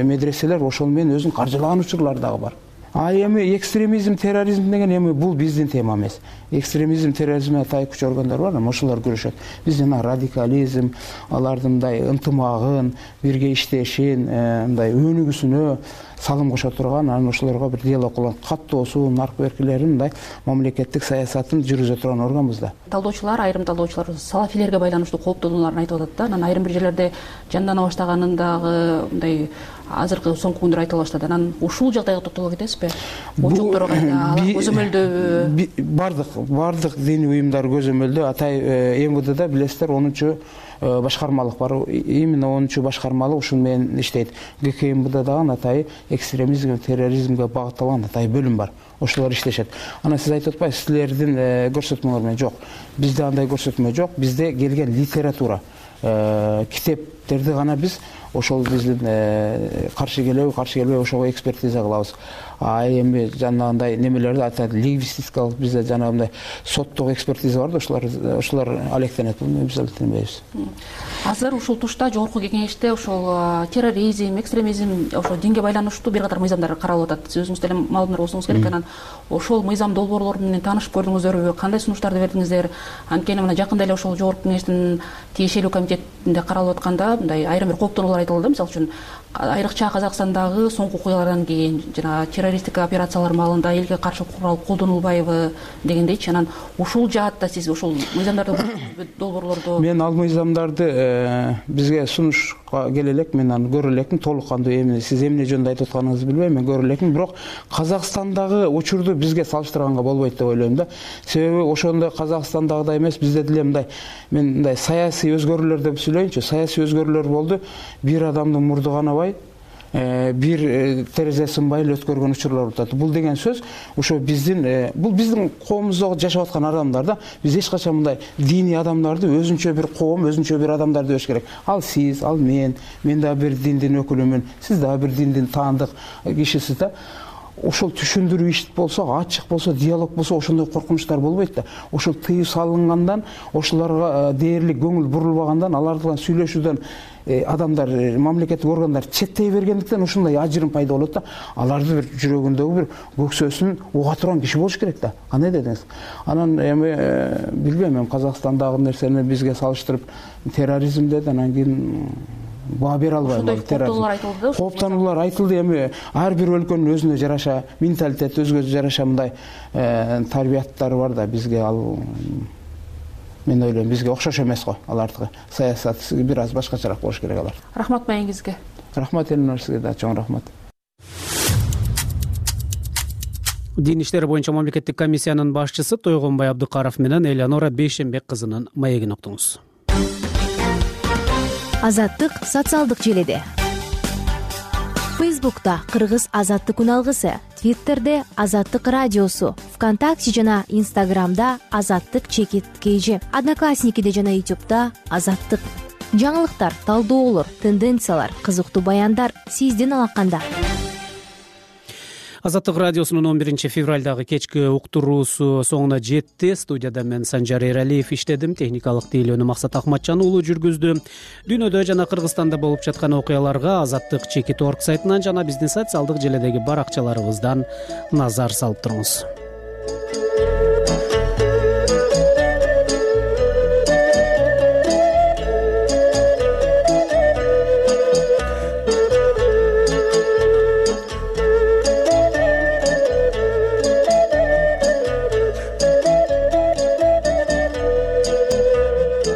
медреселер ошол менен өзүн каржылаган учурлар дагы бар. Эми экстремизм, терроризм деген эми бул биздин тема эмес. Экстремизм, терроризмге тай күч органдар бар, ошолор күрөшөт. Биз жана радикализм, алардын мындай ынтымагын, бирге иштешин, мындай өнүгүүсүнө салым кошо турган, анан ошолорго бир диалог кылган, каттоосун, аркы беркилерин мындай мамлекеттик саясатын жүргүзө турган органбыз да. Талдоочулар, айрым талдоочулар салафилерге байланыштуу кооптонууларын айтып атат да. Анан айрым бир жерлерде жандана баштаганын дагы мындай азыркы соңку күндөрү айтыла баштады. Анан ушул жагдайга токтоло кетесизби? Учуктор кайда, көзөмөлдөбү? Бардык диний уюмдар көзөмөлдө. Атай МВДда билесиздер 10-чу башкармалык бар. Именно 10-чу башкармалык ушун менен иштейт. ГКМБда дагы атай экстремизмге, терроризмге багытталган атай бөлүм бар. Ошолор иштешет. Анан сиз айтып атпайсызбы, силердин көрсөтмөңөр менен жок. Бизде андай көрсөтмө жок. Бизде келген литература, китептерди гана биз ошол биздин каршы келбей ошого экспертиза кылабыз. Эми жанагындай немелерди айтат, лингвистикалык бизде жанагындай соттук экспертиза бар да, ошолор алектенет. Буну биз алектенбейбиз. Азыр ушул тушта жогорку кеңеште ошол терроризм, экстремизм, ошол динге байланыштуу бир катар мыйзамдар каралып атат. Сиз өзүңүз деле маалымдар болсоңуз керек. Анан ошол мыйзам долбоорлору менен таанышып көрдүңүздөрбү? Кандай сунуштарды бердиңиздер? Анткени мына жакында эле ошол жогорку кеңештин тиешелүү комитетинде каралып атканда мындай айрым бир кооптонуулар айтылды. Мисалы үчүн айрыкча Казакстандагы соңку окуялардан кийин жана террористтик операциялар маалында элге каршы курал колдонулбайбы дегендейчи. Анан ушул жаатта сиз ушул мыйзамдарды долбоорлорду? Мен ал мыйзамдарды бизге сунушка келе элек, мен аны көрө элекмин. Толук кандуу эмне сиз эмне жөнүндө айтып атканыңызды билбейм, мен көрө элекмин. Бирок Казакстандагы учурду бизге салыштырганга болбойт деп ойлойм да. Себеби ошондой Казакстандагыдай эмес, бизде деле мындай, мен мындай саясий өзгөрүүлөр деп сүйлөйүнчү. Саясий өзгөрүүлөр болду. Бир адамдын мурду канабай, бир терезе сынбай эле өткөргөн учурлар болуп атат. Бул деген сөз ошо биздин коомубузда жашап аткан адамдар да. Биз эч качан мындай диний адамдарды өзүнчө бир коом, өзүнчө бир адамдар дебеш керек. Ал сиз, ал мен дагы бир диндин өкүлүмүн, сиз дагы бир диндин таандык кишисиз да. Ошол түшүндүрүү иш болсо, ачык болсо, диалог болсо, ошондой коркунучтар болбойт да. Ошол тыюу салынгандан, ошолорго дээрлик көңүл бурулбагандан, алар менен сүйлөшүүдөн адамдар, мамлекеттик органдар четтей бергендиктен ушундай ажырым пайда болот да. Аларды бир жүрөгүндөгү бир көксөсүн уга турган киши болуш керек да. Кандай дедиңиз? Анан эми билбейм, Казакстандагы нерсени бизге салыштырып терроризм деди, анан кийин баа бере албайм. Кооптонулар айтылды. Кооптонулар айтылды. Эми ар бир өлкөнүн өзүнө жараша менталитети, өзгө жараша мындай тарбияттары бар да, бизге ал мен ойлойм бизге окшош эмес го. Алардыкы саясат бир аз башкачараак болуш керек алар. Рахмат маегиңизге. Рахмат Элнур, сизге да чоң рахмат. Дин иштери боюнча мамлекеттик комиссиянын башчысы Тойгонбай Абдыкаров менен Элеонора Бейшембек кызынын маегин уктуңуз. Азаттык социалдык желеде. Фейсбукта Кыргыз азаттык күн алгысы, Твиттерде Азаттык радиосу, ВКонтакте жана Инстаграмда Азаттык _KG, Одноклассникиде жана Ютубта Азаттык. Жаңылыктар, талдоолор, тенденциялар, кызыктуу баяндар сиздин алаканда. Азаттык радиосунун 11 февралдагы кечки уктуруусу соңуна жетти. Студияда мен Санжар Эралиев иштедим. Техникалык тейлөөнү Максат Акматжан уулу жүргүздү. Дүйнөдө жана Кыргызстанда болуп жаткан окуяларга Азаттык _org сайтынан жана биздин социалдык желедеги баракчаларыбыздан назар салып туруңуз.